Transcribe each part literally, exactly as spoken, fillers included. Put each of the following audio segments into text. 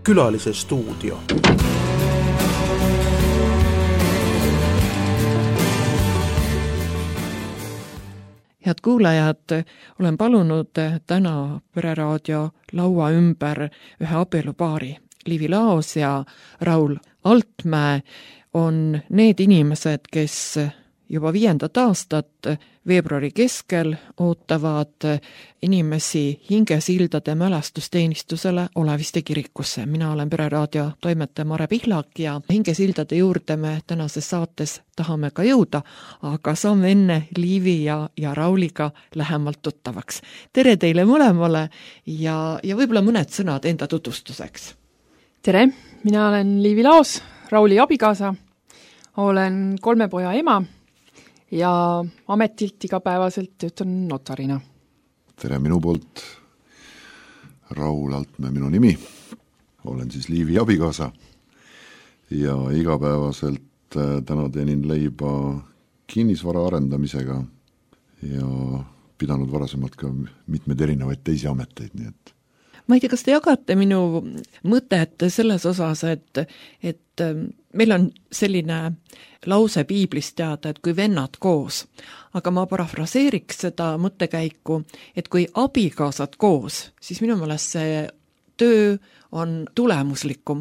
Külalise stuudio. Head kuulajad, olen palunud täna Pereraadio laua ümber ühe abielupaari. Liivi Laos ja Raul Altmäe on need inimesed, kes juba viiendat aastat veebruari keskel ootavad inimesi Hingesildade mälestusteenistusele Oleviste kirikusse. Mina olen Pereraadio toimetaja Mare Pihlak ja Hingesildade juurde me tänases saates tahame ka jõuda, aga saame enne Liivi ja, ja Rauliga lähemalt tuttavaks. Tere teile mõlemale ja, ja võib-olla mõned sõnad enda tutvustuseks. Tere, mina olen Liivi Laos, Rauli abikaasa, olen kolme poja ema ja ametilt igapäevaselt töötan notarina. Tere minu poolt, Raul Altmäe minu nimi, olen siis Liivi abikaasa ja igapäevaselt täna teenin leiba kinnisvara arendamisega ja pidanud varasemalt ka mitmed erinevaid teisi ameteid, nii et ma ei tea, kas te jagate minu mõtet selles osas, et, et meil on selline lause piiblist teada, et kui vennad koos, aga ma parafraseeriks seda mõttekäiku, et kui abikaasad koos, siis minu meelest see töö on tulemuslikum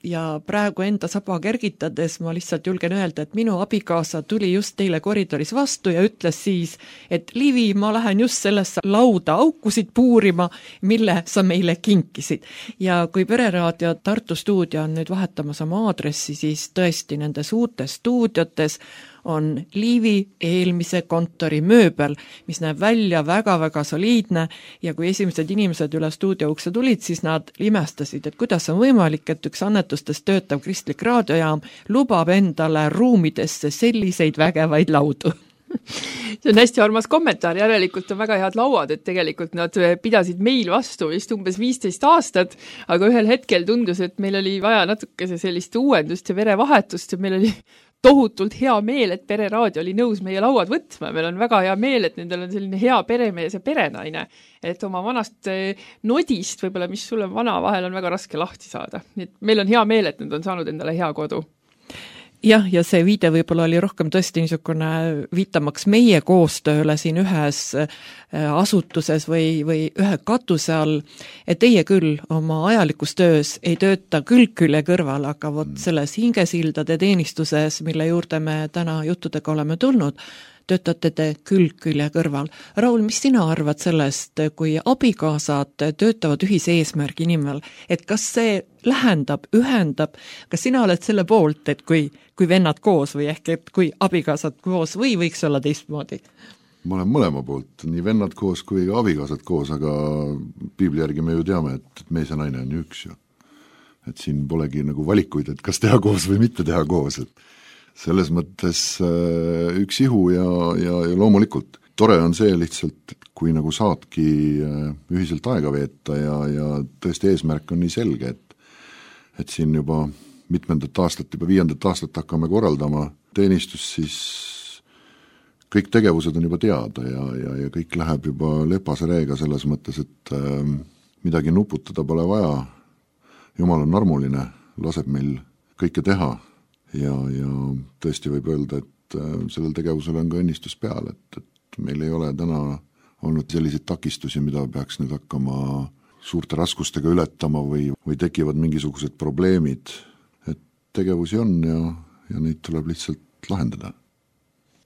ja praegu enda saba kergitades ma lihtsalt julgen öelda, et minu abikaasa tuli just teile koridoris vastu ja ütles siis, et Liivi, ma lähen just sellesse lauda aukusid puurima, mille sa meile kinkisid. Ja kui Pereraadio Tartu stuudio on nüüd vahetamas oma aadressi, siis tõesti nendes uutes stuudiotes on Liivi eelmise kontori mööbel, mis näeb välja väga-väga soliidne ja kui esimesed inimesed üle stuudio ukse tulid, siis nad imestasid, et kuidas on võimalik, et üks annetustes töötav kristlik raadiojaam lubab endale ruumidesse selliseid vägevaid laudu. See on hästi armas kommentaar, järelikult on väga head lauad, et tegelikult nad pidasid meil vastu vist umbes viisteist aastat, aga ühel hetkel tundus, et meil oli vaja natuke sellist uuendust ja verevahetust ja meil oli tohutult hea meel, et Pereraadio oli nõus meie lauad võtma. Meil on väga hea meel, et nendel on selline hea peremees ja perenaine. Et oma vanast nodist, võib-olla mis sul on vana, vahel on väga raske lahti saada. Nii et meil on hea meel, et nad on saanud endale hea kodu. Jah, ja see viide võib-olla oli rohkem tõesti niisugune viitamaks meie koostööle siin ühes asutuses või, või ühe katuse all, et teie küll oma ajalikus töös ei tööta külg külje kõrval, aga vot selles Hingesildade teenistuses, mille juurde me täna juttudega oleme tulnud, töötate te külg külje kõrval. Raul, mis sina arvad sellest, kui abikaasad töötavad ühise eesmärgi nimel, et kas see lähendab, ühendab, kas sina oled selle poolt, et kui, kui vennad koos või ehk et kui abikaasad koos või võiks olla teistmoodi? Ma olen mõlema poolt, nii vennad koos kui abikaasad koos, aga piibli järgi me ju teame, et mees ja naine on ju üks ju. Et siin polegi nagu valikuid, et kas teha koos või mitte teha koos, et selles mõttes üks ihu ja, ja, ja loomulikult tore on see lihtsalt, kui nagu saadki ühiselt aega veeta ja, ja tõesti eesmärk on nii selge, et, et siin juba mitmendat aastat, juba viiendat aastat hakkame korraldama teenistus, siis kõik tegevused on juba teada ja, ja, ja kõik läheb juba lepase reega selles mõttes, et äh, midagi nuputada pole vaja. Jumal on armuline, laseb meil kõike teha. Ja, ja tõesti võib öelda, et sellel tegevusel on ka õnnistus peal, et, et meil ei ole täna olnud selliseid takistusi, mida peaks nüüd hakkama suurte raskustega ületama või, või tekivad mingisugused probleemid. Et tegevusi on ja, ja neid tuleb lihtsalt lahendada.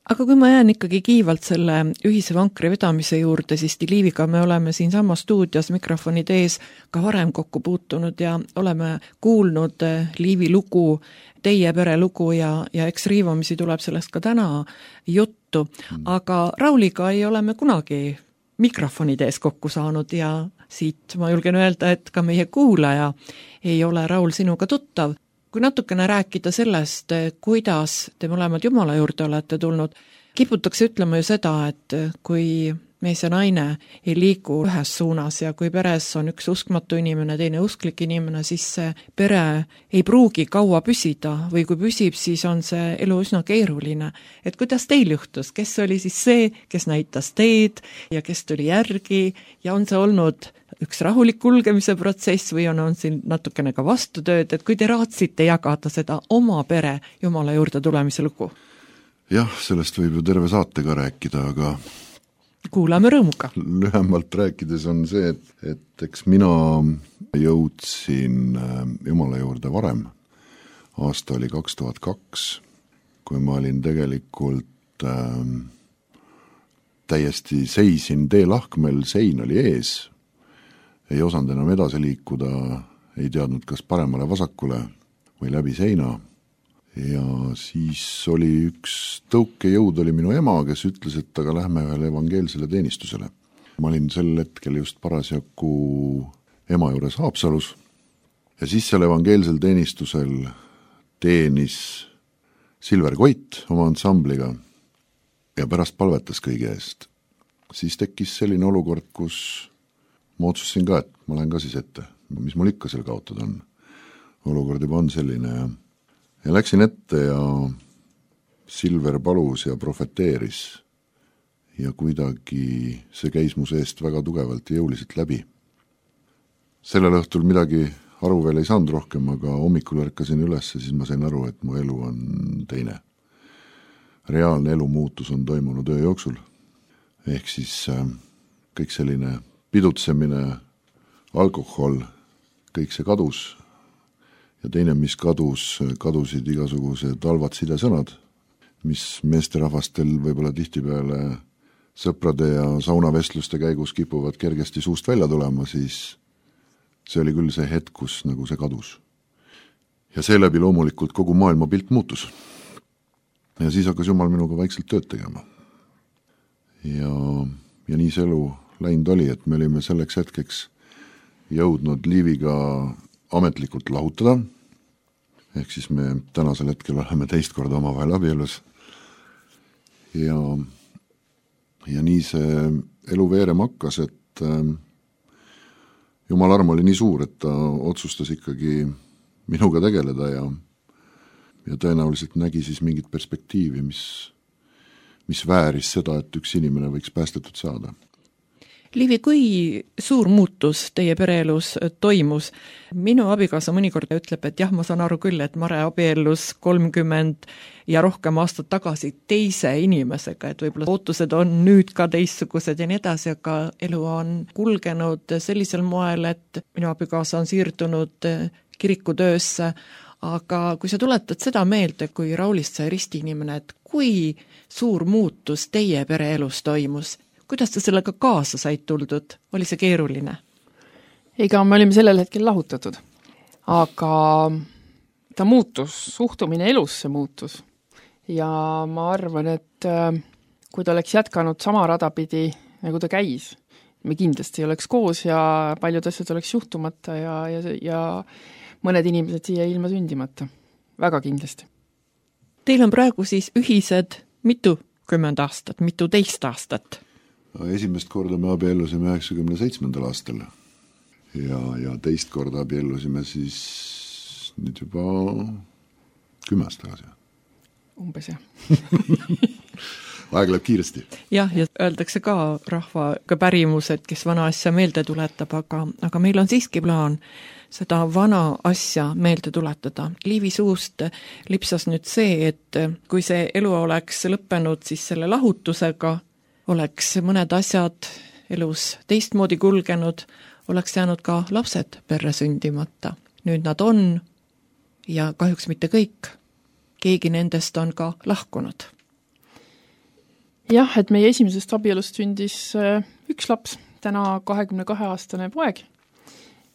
Aga kui ma jään ikkagi kiivalt selle ühise vankri vedamise juurde, siis Liiviga me oleme siin sama stuudios mikrofonid ees ka varem kokku puutunud ja oleme kuulnud Liivi lugu, teie pere lugu ja, ja eks riivamisi tuleb sellest ka täna juttu. Aga Rauliga ei ole me kunagi mikrofonid ees kokku saanud ja siit ma julgen öelda, et ka meie kuulaja ei ole Raul sinuga tuttav. Kui natukene rääkida sellest, kuidas te mõlemad Jumala juurde olete tulnud, kiputakse ütlema ju seda, et kui mees ja naine ei liigu ühes suunas ja kui peres on üks uskmatu inimene, teine usklik inimene, siis see pere ei pruugi kaua püsida või kui püsib, siis on see elu üsna keeruline. Et kuidas teil juhtus? Kes oli siis see, kes näitas teed ja kes tuli järgi ja on see olnud üks rahulik kulgemise protsess või on, on siin natukene ka vastutööd, et kui te raatsite jagada seda oma pere Jumala juurde tulemise lugu? Jah, sellest võib ju terve saate ka rääkida, aga kuulame rõõmuga. Lühemalt rääkides on see, et, et eks mina jõudsin Jumala juurde varem. Aasta oli kaks tuhat kaks, kui ma olin tegelikult äh, täiesti seisin teelahkmel, sein oli ees, ei osanud enam edasi liikuda, ei teadnud, kas paremale vasakule või läbi seina. Ja siis oli üks tõukejõud, oli minu ema, kes ütles, et aga lähme ühele evangeelsele teenistusele. Ma olin sel hetkel just parasjagu ema juures Haapsalus ja siis seal evangeelsel teenistusel teenis Silver Koit oma ansambliga ja pärast palvetas kõige eest. Siis tekkis selline olukord, kus ma otsustasin ka, et ma lähen ka siis ette, mis mul ikka seal kaotada on. Olukord juba on selline ja Ja läksin ette ja Silver palus ja profeteeris ja kuidagi see käis mu seest väga tugevalt ja jõuliselt läbi. Sellel õhtul midagi aru veel ei saanud rohkem, aga hommikul ärkasin üles ja siis ma sain aru, et mu elu on teine. Reaalne elu muutus on toimunud öö jooksul. Ehk siis kõik selline pidutsemine, alkohol, kõik see kadus. Ja teine, mis kadus, kadusid igasugused halvad sidesõnad, mis meesterahvastel võib-olla tihtipeale sõprade ja saunavestluste käigus kipuvad kergesti suust välja tulema, siis see oli küll see hetk, kus nagu see kadus. Ja seeläbi loomulikult kogu maailma pilt muutus. Ja siis hakkas Jumal minuga vaikselt tööd tegema. Ja, ja nii see elu läinud oli, et me olime selleks hetkeks jõudnud Liiviga ametlikult lahutada, ehk siis me tänasel hetkel oleme teist korda omavahel abielus ja, ja nii see elu veerem hakkas, et äh, Jumal arm oli nii suur, et ta otsustas ikkagi minuga tegeleda ja, ja tõenäoliselt nägi siis mingit perspektiivi, mis, mis vääris seda, et üks inimene võiks päästetud saada. Liivi, kui suur muutus teie pereelus toimus? Minu abikaasa mõnikord ütleb, et jah, ma saan aru küll, et Mare abiellus kolmkümmend ja rohkem aastat tagasi teise inimesega, et võib-olla ootused on nüüd ka teistsugused ja nii edasi, aga elu on kulgenud sellisel moel, et minu abikaasa on siirdunud kirikutöösse, aga kui sa tuletad seda meelde, kui Raulist sai ristiinimene, et kui suur muutus teie pereelus toimus, kuidas te sellega kaasa said tuldud? Oli see keeruline? Ega me olime sellel hetkel lahutatud, aga ta muutus, suhtumine elusse muutus ja ma arvan, et kui ta oleks jätkanud sama rada pidi, nagu ta käis, me kindlasti oleks koos ja paljud asjad oleks juhtumata ja, ja, ja mõned inimesed siia ilma sündimata. Väga kindlasti. Teil on praegu siis ühised mitu kümmend aastat, mitu teist aastat? Esimest korda me abiellusime üheksakümne seitsmendal aastal ja, ja teist korda abiellusime siis nüüd juba kümme aastat tagasi. Umbes jah. Aeg läheb kiiresti. Jah, ja öeldakse ka rahvaga pärimus, et kes vana asja meelde tuletab, aga, aga meil on siiski plaan seda vana asja meelde tuletada. Liivi suust lipsas nüüd see, et kui see elu oleks lõppenud siis selle lahutusega, oleks mõned asjad elus teistmoodi kulgenud, oleks jäänud ka lapsed perre sündimata. Nüüd nad on ja kahjuks mitte kõik. Keegi nendest on ka lahkunud. Jah, et meie esimesest abielust sündis üks laps, täna kahekümne kahe aastane poeg.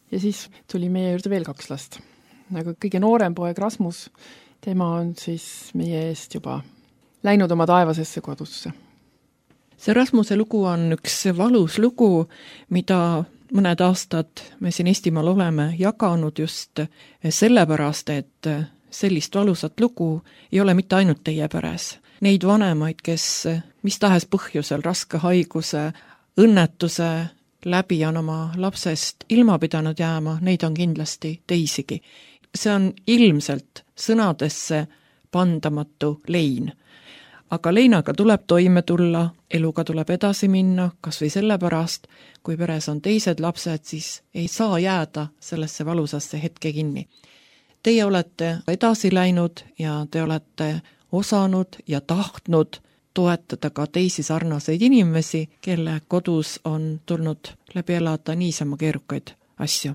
Ja siis tuli meie juurde veel kaks last. Aga kõige noorem poeg Rasmus, tema on siis meie eest juba läinud oma taevasesse kodusse. See Rasmuse lugu on üks valus lugu, mida mõned aastad me siin Eestimaal oleme jaganud just sellepärast, et sellist valusat lugu ei ole mitte ainult teie peres. Neid vanemaid, kes mis tahes põhjusel raske haiguse, õnnetuse läbi on oma lapsest ilma pidanud jääma, neid on kindlasti teisigi. See on ilmselt sõnadesse pandamatu lein. aga leinaga tuleb toime tulla, eluga tuleb edasi minna, kas või sellepärast, kui peres on teised lapsed, siis ei saa jääda sellesse valusasse hetke kinni. Teie olete edasi läinud ja te olete osanud ja tahtnud toetada ka teisi sarnaseid inimesi, kelle kodus on tulnud läbi elada niisama keerukaid asju.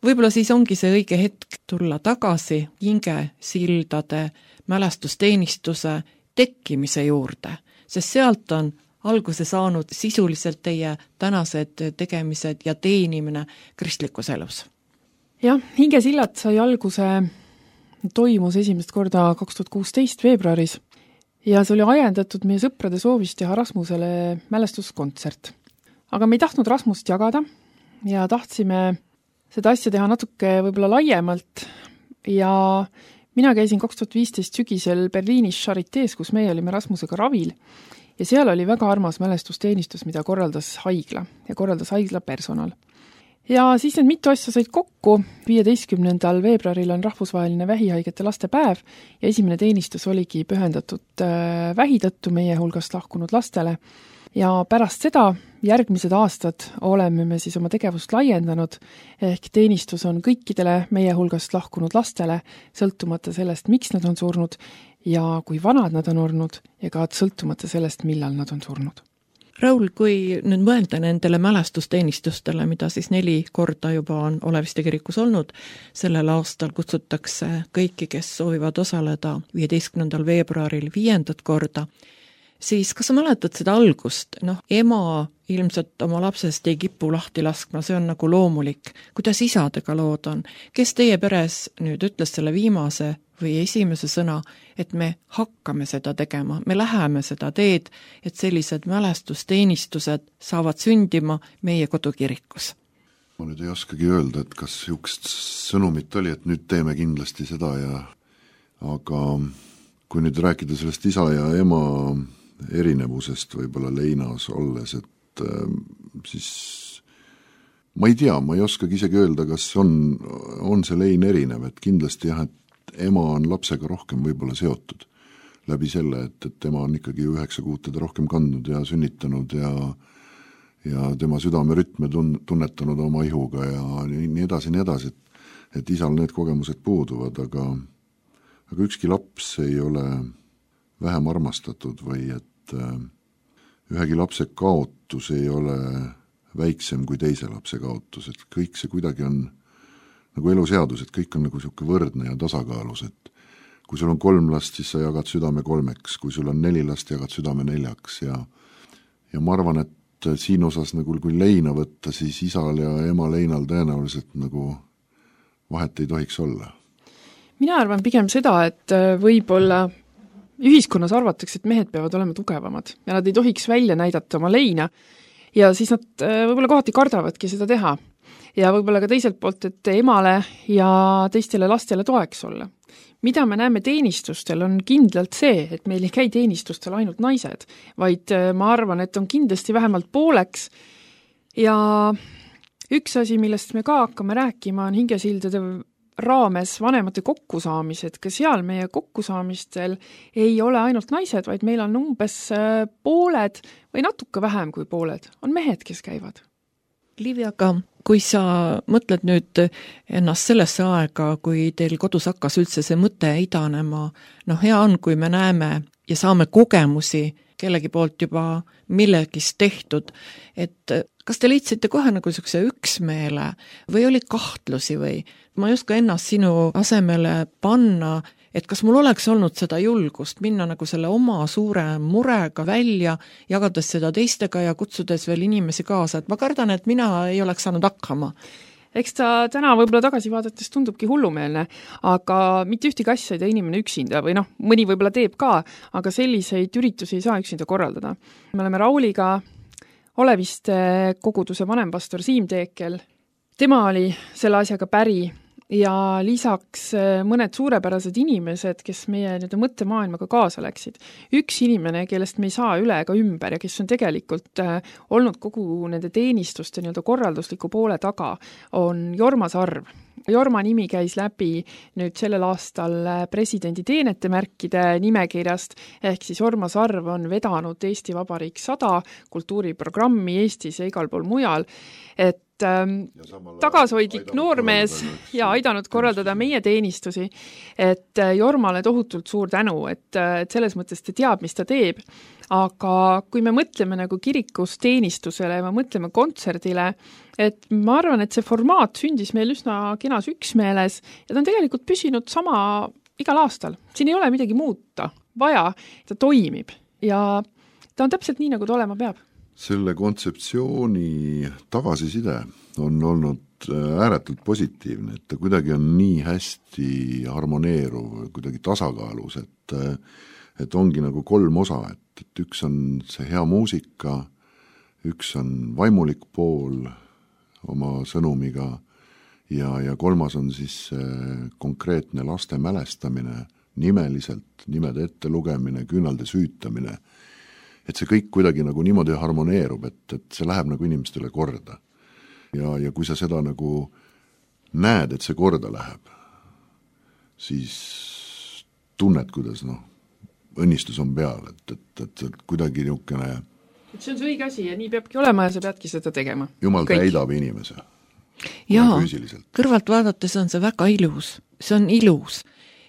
Võib-olla siis ongi see õige hetk tulla tagasi hingesildade mälestusteenistuse tekkimise juurde, sest sealt on alguse saanud sisuliselt teie tänased tegemised ja teenimine kristlikus elus. Jah, hingesillad sai alguse, toimus esimest korda kaks tuhat kuusteist veebruaris ja see oli ajendatud meie sõprade soovist teha Rasmusele mälestuskontsert. Aga me ei tahtnud Rasmust jagada ja tahtsime seda asja teha natuke võib-olla laiemalt ja mina käisin kaks tuhat viisteist sügisel Berliinis Charités, kus meie olime Rasmusega ravil ja seal oli väga armas mälestusteenistus, mida korraldas haigla ja korraldas haigla personal. Ja siis need mitu asja said kokku, viieteistkümnendal veebruaril on rahvusvaheline vähihaigete laste päev ja esimene teenistus oligi pühendatud vähi tõttu meie hulgast lahkunud lastele. Ja pärast seda järgmised aastad oleme me siis oma tegevust laiendanud, ehk teenistus on kõikidele meie hulgast lahkunud lastele, sõltumata sellest, miks nad on surnud ja kui vanad nad on olnud ja ka sõltumata sellest, millal nad on surnud. Raul, kui nüüd mõelda nendele mälestusteenistustele, mida siis neli korda juba on Oleviste kirikus olnud, sellel aastal kutsutakse kõiki, kes soovivad osaleda viieteistkümnendal veebruaril viiendat korda, siis kas sa mäletad seda algust? Noh, ema ilmselt oma lapsest ei kipu lahti laskma, see on nagu loomulik. Kuidas isadega lood on? Kes teie peres nüüd ütles selle viimase või esimese sõna, et me hakkame seda tegema, me läheme seda teed, et sellised mälestusteenistused saavad sündima meie kodukirikus? Ma nüüd ei oskagi öelda, et kas sihukest sõnumit oli, et nüüd teeme kindlasti seda ja aga kui nüüd rääkida sellest isa ja ema erinevusest võib-olla leinas olles, et äh, siis ma ei tea, ma ei oskagi isegi öelda, kas on, on see lein erinev, et kindlasti jah, et ema on lapsega rohkem võib-olla seotud läbi selle, et, et ema on ikkagi üheksa kuud teda rohkem kandnud ja sünnitanud ja, ja tema südamerütme tun, tunnetanud oma ihuga ja nii, nii edasi, nii edasi, et, et isal need kogemused puuduvad, aga, aga ükski laps ei ole vähem armastatud või et äh, ühegi lapse kaotus ei ole väiksem kui teise lapse kaotus, et kõik see kuidagi on nagu eluseadus, et kõik on nagu siuke võrdne ja tasakaalus, et kui sul on kolm last, siis sa jagad südame kolmeks, kui sul on neli last, jagad südame neljaks ja, ja ma arvan, et siin osas nagu kui leina võtta, siis isal ja ema leinal tõenäoliselt nagu vahet ei tohiks olla. Mina arvan pigem seda, et võib-olla ühiskonnas arvatakse, et mehed peavad olema tugevamad ja nad ei tohiks välja näidata oma leina ja siis nad võib-olla kohati kardavadki seda teha. Ja võib-olla ka teiselt poolt, et emale ja teistele lastele toeks olla. Mida me näeme teenistustel on kindlalt see, et meil ei käi teenistustel ainult naised, vaid ma arvan, et on kindlasti vähemalt pooleks. Ja üks asi, millest me ka hakkame rääkima, on hingesildade raames vanemate kokkusaamised. Ka seal meie kokkusaamistel ei ole ainult naised, vaid meil on umbes pooled või natuke vähem kui pooled. On mehed, kes käivad. Liivi, aga kui sa mõtled nüüd ennast sellesse aega, kui teil kodus hakkas üldse see mõte idanema, noh hea on, kui me näeme ja saame kogemusi kellegi poolt juba millegist tehtud, et kas te leidsite kohe nagu niisuguse üksmeele või oli kahtlusi või ma ei oska ennast sinu asemele panna, et kas mul oleks olnud seda julgust minna nagu selle oma suure murega välja, jagades seda teistega ja kutsudes veel inimesi kaasa, et ma kardan, et mina ei oleks saanud hakkama. Eks ta täna võib-olla tagasi vaadates tundubki hullumeelne, aga mitte ühtegi asja ei tee inimene üksinda või noh, mõni võib-olla teeb ka, aga selliseid üritusi ei saa üksinda korraldada. Me oleme Rauliga Oleviste koguduse vanempastor Siim Teekel. Tema oli selle asjaga päri ja lisaks mõned suurepärased inimesed, kes meie nii-öelda mõttemaailmaga kaasa läksid. Üks inimene, kellest me ei saa üle ega ümber ja kes on tegelikult olnud kogu nende teenistuste nii-öelda korraldusliku poole taga, on Jorma Sarv. Jorma nimi käis läbi nüüd sellel aastal presidendi teenetemärkide nimekirjast, ehk siis Jorma Sarv on vedanud Eesti Vabariik sada kultuuriprogrammi Eestis ja igal pool mujal, et tagasihoidlik noormees ja aidanud korraldada meie teenistusi, et Jormale tohutult suur tänu, et, et selles mõttes ta teab, mis ta teeb. Aga kui me mõtleme nagu kirikus teenistusele ja me mõtleme kontserdile, et ma arvan, et see formaat sündis meil üsna kenas üksmeeles ja ta on tegelikult püsinud sama igal aastal. Siin ei ole midagi muuta vaja, ta toimib ja ta on täpselt nii, nagu ta olema peab. Selle kontseptsiooni tagasiside on olnud ääretult positiivne, et ta kuidagi on nii hästi harmoneeruv, kuidagi tasakaalus, et, et ongi nagu kolm osa, et, et üks on see hea muusika, üks on vaimulik pool oma sõnumiga ja, ja kolmas on siis konkreetne laste mälestamine, nimeliselt, nimede ette lugemine, küünalde süütamine, et see kõik kuidagi nagu niimoodi harmoneerub, et, et see läheb nagu inimestele korda. Ja, ja kui sa seda nagu näed, et see korda läheb, siis tunned, kuidas noh, õnnistus on peal, et, et, et, et kuidagi niisugune et see on see õige asi ja nii peabki olema ja sa peadki seda tegema. Jumal kõik täidab inimese. Jaa, kõrvalt vaadates on see väga ilus, see on ilus.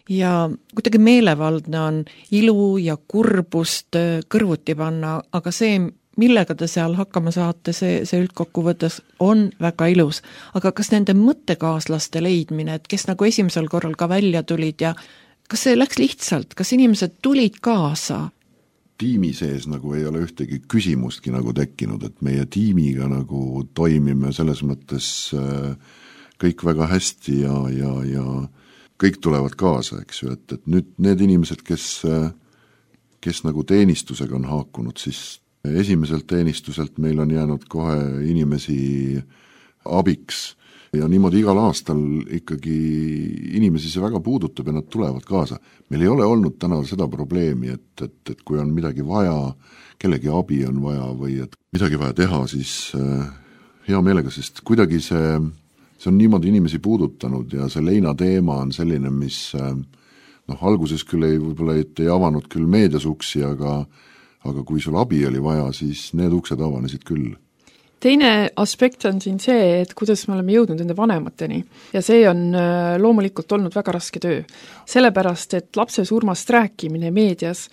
Ja kuidagi meelevaldne on ilu ja kurbust kõrvuti panna, aga see, millega te seal hakkama saate, see, see üldkokkuvõttes on väga ilus. Aga kas nende mõttekaaslaste leidmine, et kes nagu esimesel korral ka välja tulid ja kas see läks lihtsalt, kas inimesed tulid kaasa? Tiimi sees nagu ei ole ühtegi küsimustki nagu tekkinud, et meie tiimiga nagu toimime selles mõttes kõik väga hästi ja, ja, ja kõik tulevad kaasa, eks ju, et, et nüüd need inimesed, kes, kes nagu teenistusega on haakunud, siis esimeselt teenistuselt meil on jäänud kohe inimesi abiks ja niimoodi igal aastal ikkagi inimesi see väga puudutab ja nad tulevad kaasa. Meil ei ole olnud täna seda probleemi, et, et, et kui on midagi vaja, kellegi abi on vaja või et midagi vaja teha, siis hea meelega, sest kuidagi see see on niimoodi inimesi puudutanud ja see leina teema on selline, mis noh, alguses küll ei, võib-olla ei, ei avanud küll meedias uksi, aga, aga kui sul abi oli vaja, siis need uksed avanesid küll. Teine aspekt on siin see, et kuidas me oleme jõudnud enda vanemateni ja see on loomulikult olnud väga raske töö. Sellepärast, et lapse surmast rääkimine meedias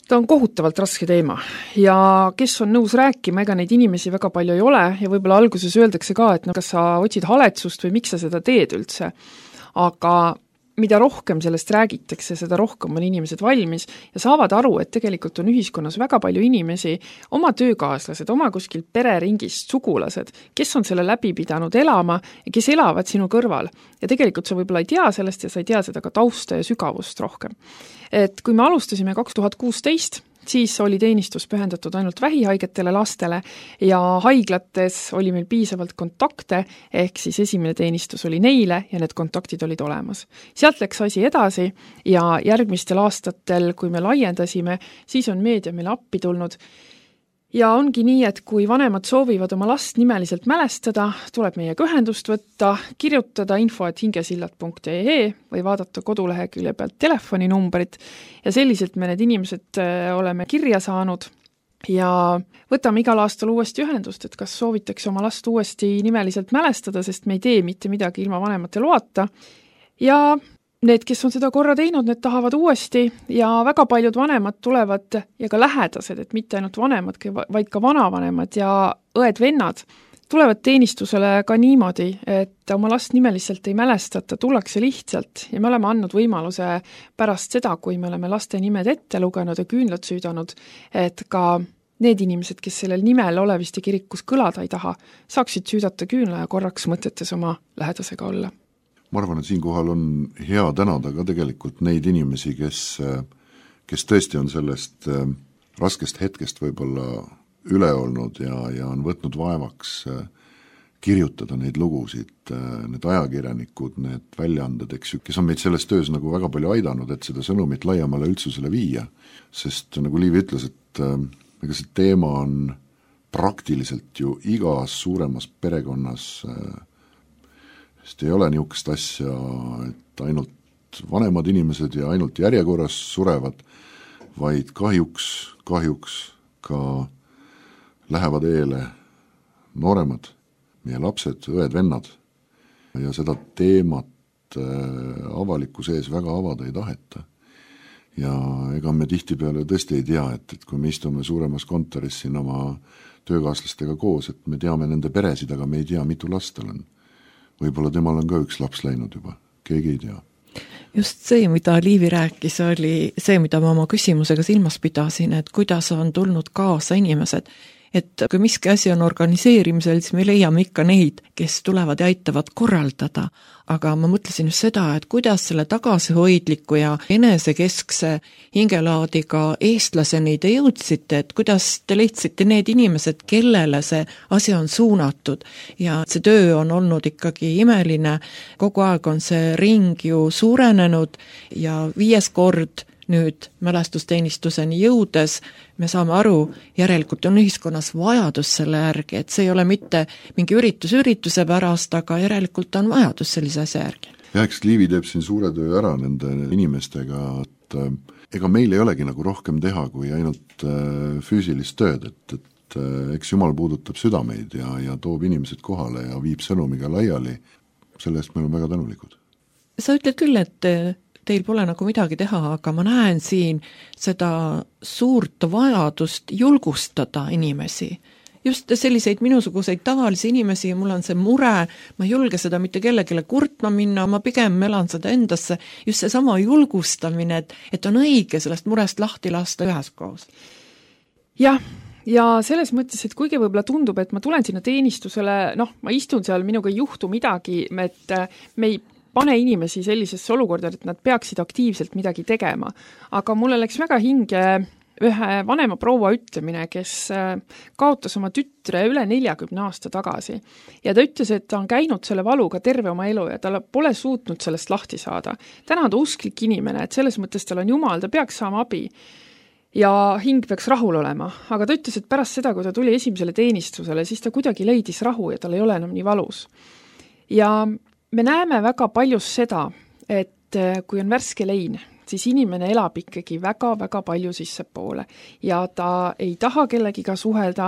ta on kohutavalt raske teema ja kes on nõus rääkima, ega neid inimesi väga palju ei ole ja võib-olla alguses öeldakse ka, et no kas sa otsid haletsust või miks sa seda teed üldse. Aga mida rohkem sellest räägitakse, seda rohkem on inimesed valmis ja saavad aru, et tegelikult on ühiskonnas väga palju inimesi, oma töökaaslased, oma kuskil pereringist sugulased, kes on selle läbi pidanud elama ja kes elavad sinu kõrval. Ja tegelikult sa võib-olla ei tea sellest ja sa ei tea seda ka tausta ja sügavust rohkem. Et kui me alustasime kaks tuhat kuusteist, siis oli teenistus pühendatud ainult vähihaigetele lastele ja haiglates oli meil piisavalt kontakte, ehk siis esimene teenistus oli neile ja need kontaktid olid olemas. Sealt läks asi edasi ja järgmistel aastatel, kui me laiendasime, siis on meedia meile appi tulnud. Ja ongi nii, et kui vanemad soovivad oma last nimeliselt mälestada, tuleb meiega ühendust võtta, kirjutada info et hingesillad punkt ee või vaadata kodulehekülje pealt telefoninumbrit ja selliselt me need inimesed oleme kirja saanud ja võtame igal aastal uuesti ühendust, et kas soovitakse oma last uuesti nimeliselt mälestada, sest me ei tee mitte midagi ilma vanemate loata ja need, kes on seda korra teinud, need tahavad uuesti ja väga paljud vanemad tulevad ja ka lähedased, et mitte ainult vanemad, vaid ka vanavanemad ja õed-vennad tulevad teenistusele ka niimoodi, et oma last nimeliselt ei mälestata, tullakse lihtsalt ja me oleme andnud võimaluse pärast seda, kui me oleme laste nimed ette lugenud ja küünlad süüdanud, et ka need inimesed, kes sellel nimel Oleviste kirikus kõlada ei taha, saaksid süüdata küünla ja korraks mõtetes oma lähedasega olla. Ma arvan, et siinkohal on hea tänada ka tegelikult neid inimesi, kes, kes tõesti on sellest raskest hetkest võib-olla üle olnud ja, ja on võtnud vaevaks kirjutada neid lugusid, need ajakirjanikud, need väljaanded, eks ju, kes on meid selles töös nagu väga palju aidanud, et seda sõnumit laiemale üldsusele viia. Sest nagu Liivi ütles, et ega see teema on praktiliselt ju igas suuremas perekonnas sest ei ole niisugust asja, et ainult vanemad inimesed ja ainult järjekorras surevad, vaid kahjuks, kahjuks ka lähevad eele nooremad, meie lapsed, õed, vennad ja seda teemat avalikkuse ees väga avada ei taheta. Ja ega me tihtipeale tõesti ei tea, et, et kui me istume suuremas kontoris siin oma töökaaslastega koos, et me teame nende peresid, aga me ei tea, mitu last tal on. Võib-olla temal on ka üks laps läinud juba, keegi ei tea. Just see, mida Liivi rääkis, oli see, mida ma oma küsimusega silmas pidasin, et kuidas on tulnud kaasa inimesed, et kui miski asi on organiseerimisel, siis me leiame ikka neid, kes tulevad ja aitavad korraldada, aga ma mõtlesin just seda, et kuidas selle tagasihoidliku ja enesekeskse hingelaadiga eestlaseni te jõudsite, et kuidas te leidsite need inimesed, kellele see asi on suunatud ja see töö on olnud ikkagi imeline, kogu aeg on see ring ju suurenenud ja viies kord nüüd mälestusteenistuseni jõudes me saame aru, järelikult on ühiskonnas vajadus selle järgi, et see ei ole mitte mingi üritus ürituse pärast, aga järelikult on vajadus sellise asja järgi. Ja eks Liivi teeb siin suure töö ära nende inimestega, et ega meil ei olegi nagu rohkem teha kui ainult füüsilist tööd, et, et eks Jumal puudutab südameid ja, ja toob inimesed kohale ja viib sõnumiga laiali, selle eest me oleme väga tänulikud. Sa ütled küll, et teil pole nagu midagi teha, aga ma näen siin seda suurt vajadust julgustada inimesi. Just selliseid minusuguseid tavalisi inimesi, mul on see mure, ma ei julge seda mitte kellegile kurtma minna, ma pigem elan seda endasse, just see sama julgustamine, et, et on õige sellest murest lahti lasta üheskoos. Jah, ja selles mõttes, et kuigi võib-olla tundub, et ma tulen sinna teenistusele, noh, ma istun seal, minuga ei juhtu midagi, et me ei pane inimesi sellisesse olukorda, et nad peaksid aktiivselt midagi tegema. Aga mulle läks väga hinge ühe vanema proua ütlemine, kes kaotas oma tütre üle neljakümne aasta tagasi. Ja ta ütles, et ta on käinud selle valuga terve oma elu ja ta pole suutnud sellest lahti saada. Täna ta usklik inimene, et selles mõttes tal on Jumal, ta peaks saama abi ja hing peaks rahul olema. Aga ta ütles, et pärast seda, kui ta tuli esimesele teenistusele, siis ta kuidagi leidis rahu ja tal ei ole enam nii valus. Ja me näeme väga paljus seda, et kui on värske lein, siis inimene elab ikkagi väga-väga palju sisse poole ja ta ei taha kellegiga suhelda.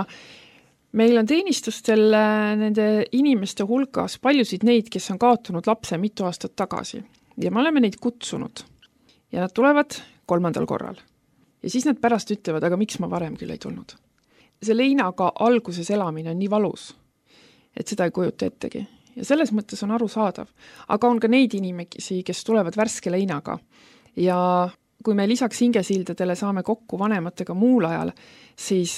Meil on teenistustel nende inimeste hulgas paljusid neid, kes on kaotanud lapse mitu aastat tagasi ja me oleme neid kutsunud ja nad tulevad kolmandal korral. Ja siis nad pärast ütlevad, aga miks ma varem küll ei tulnud. See leinaga alguses elamine on nii valus, et seda ei kujuta ettegi. Ja selles mõttes on aru saadav. Aga on ka neid inimesi, kes tulevad värske leinaga. Ja kui me lisaks hingesildadele saame kokku vanematega muul ajal, siis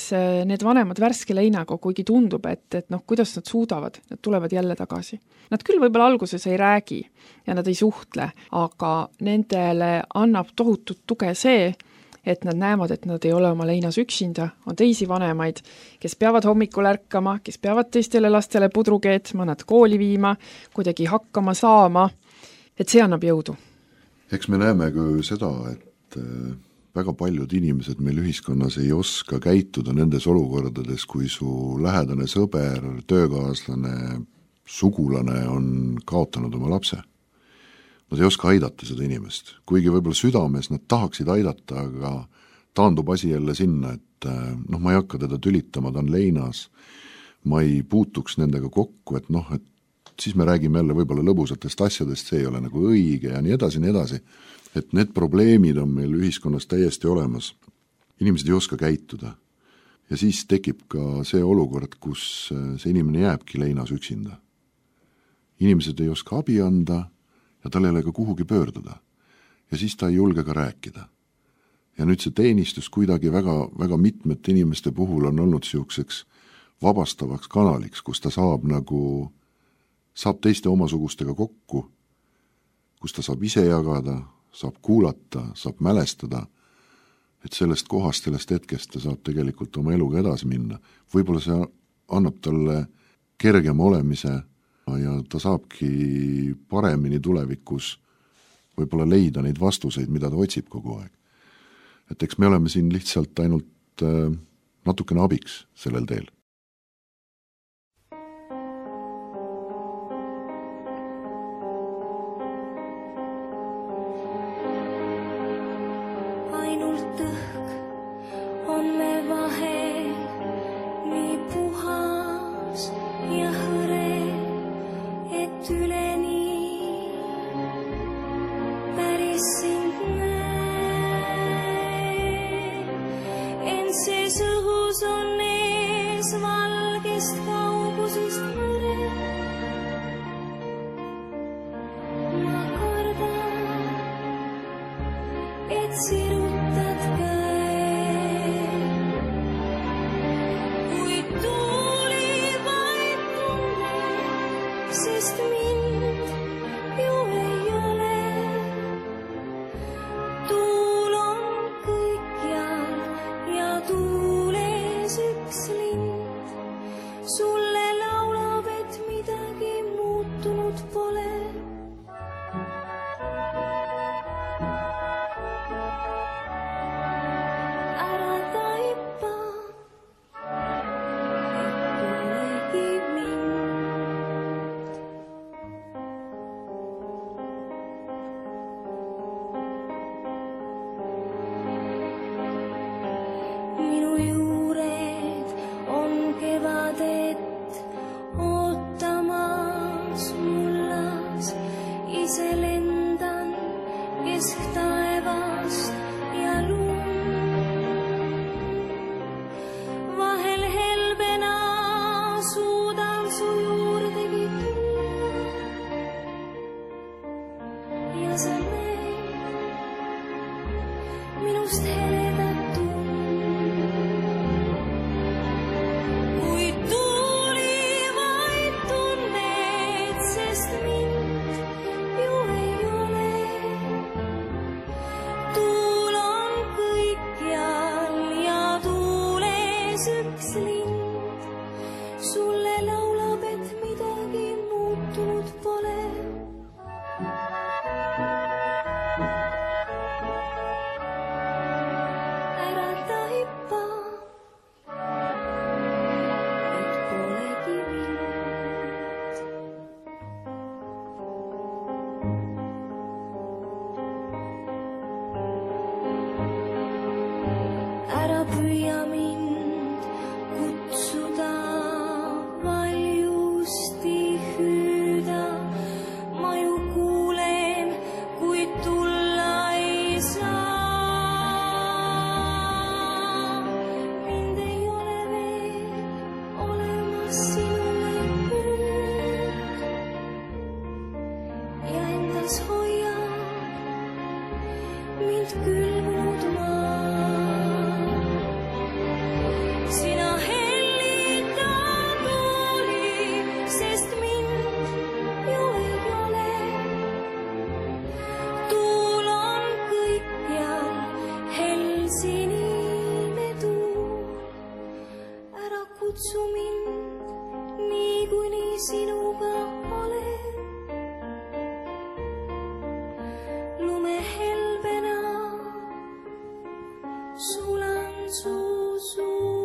need vanemad värske leinaga, kuigi tundub, et, et noh, kuidas nad suudavad, nad tulevad jälle tagasi. Nad küll võib-olla alguses ei räägi ja nad ei suhtle, aga nendele annab tohutut tuge see, et nad näevad, et nad ei ole oma leinas üksinda, on teisi vanemaid, kes peavad hommikul ärkama, kes peavad teistele lastele pudru keetma, nad kooli viima, kuidagi hakkama saama, et see annab jõudu. Eks me näeme ka seda, et väga paljud inimesed meil ühiskonnas ei oska käituda nendes olukordades, kui su lähedane sõber, töökaaslane, sugulane on kaotanud oma lapse. Nad ei oska aidata seda inimest, kuigi võib-olla südames nad tahaksid aidata, aga taandub asi jälle sinna, et noh, ma ei hakka teda tülitama, ta on leinas, ma ei puutuks nendega kokku, et noh, et siis me räägime jälle võib-olla lõbusatest asjadest, see ei ole nagu õige ja nii edasi, nii edasi, et need probleemid on meil ühiskonnas täiesti olemas. Inimesed ei oska käituda ja siis tekib ka see olukord, kus see inimene jääbki leinas üksinda. Inimesed ei oska abi anda ja tal ei ole ka kuhugi pöörduda. Ja siis ta ei julge ka rääkida. Ja nüüd see teenistus kuidagi väga, väga mitmete inimeste puhul on olnud siukseks vabastavaks kanaliks, kus ta saab nagu, saab teiste omasugustega kokku, kus ta saab ise jagada, saab kuulata, saab mälestada, et sellest kohast, sellest hetkest ta saab tegelikult oma eluga edasi minna. Võib-olla see annab talle kergema olemise ja ta saabki paremini tulevikus võib-olla leida neid vastuseid, mida ta otsib kogu aeg. Et eks me oleme siin lihtsalt ainult natukene abiks sellel teel. et üleni päris sind näen. Ent sees õhus on ees valgest kaugusest mõre. Ma kardan, et sirutad käe, kui tuuli vaid tunne, sest mind ju ei ole. Tuul on kõikjal ja tuules üks lind sulle laulab, et midagi muutunud pole. Ära taipa, et polegi mind. Minu juured on kevadet ootamas mullas. Ise lendan kesktaevast ja lund. Vahel helbena suudan su juurdegi tulla. Ja sa näed minust heledat tund. Kui tuuli vaid tunned, sest mind ju ei ole. Tuul on kõikjal ja tuules üks lind sulle laulab, et midagi muutunud pole. Ära taipa, et polegi mind. Ära püüa mind kutsuda, valjusti hüüda. Ma ju kuulen, kui tulla ei saa. Mind ei ole veel olemas sinule nüüd ja endas hoia mind külmunud maa. Sina hellita tuuli, sest mind ju ei ole. Tuul on kõikjal helsinine tuul. Ära kutsu mind nii, kuni sinuga olen. Lumehelbena sulan su suu.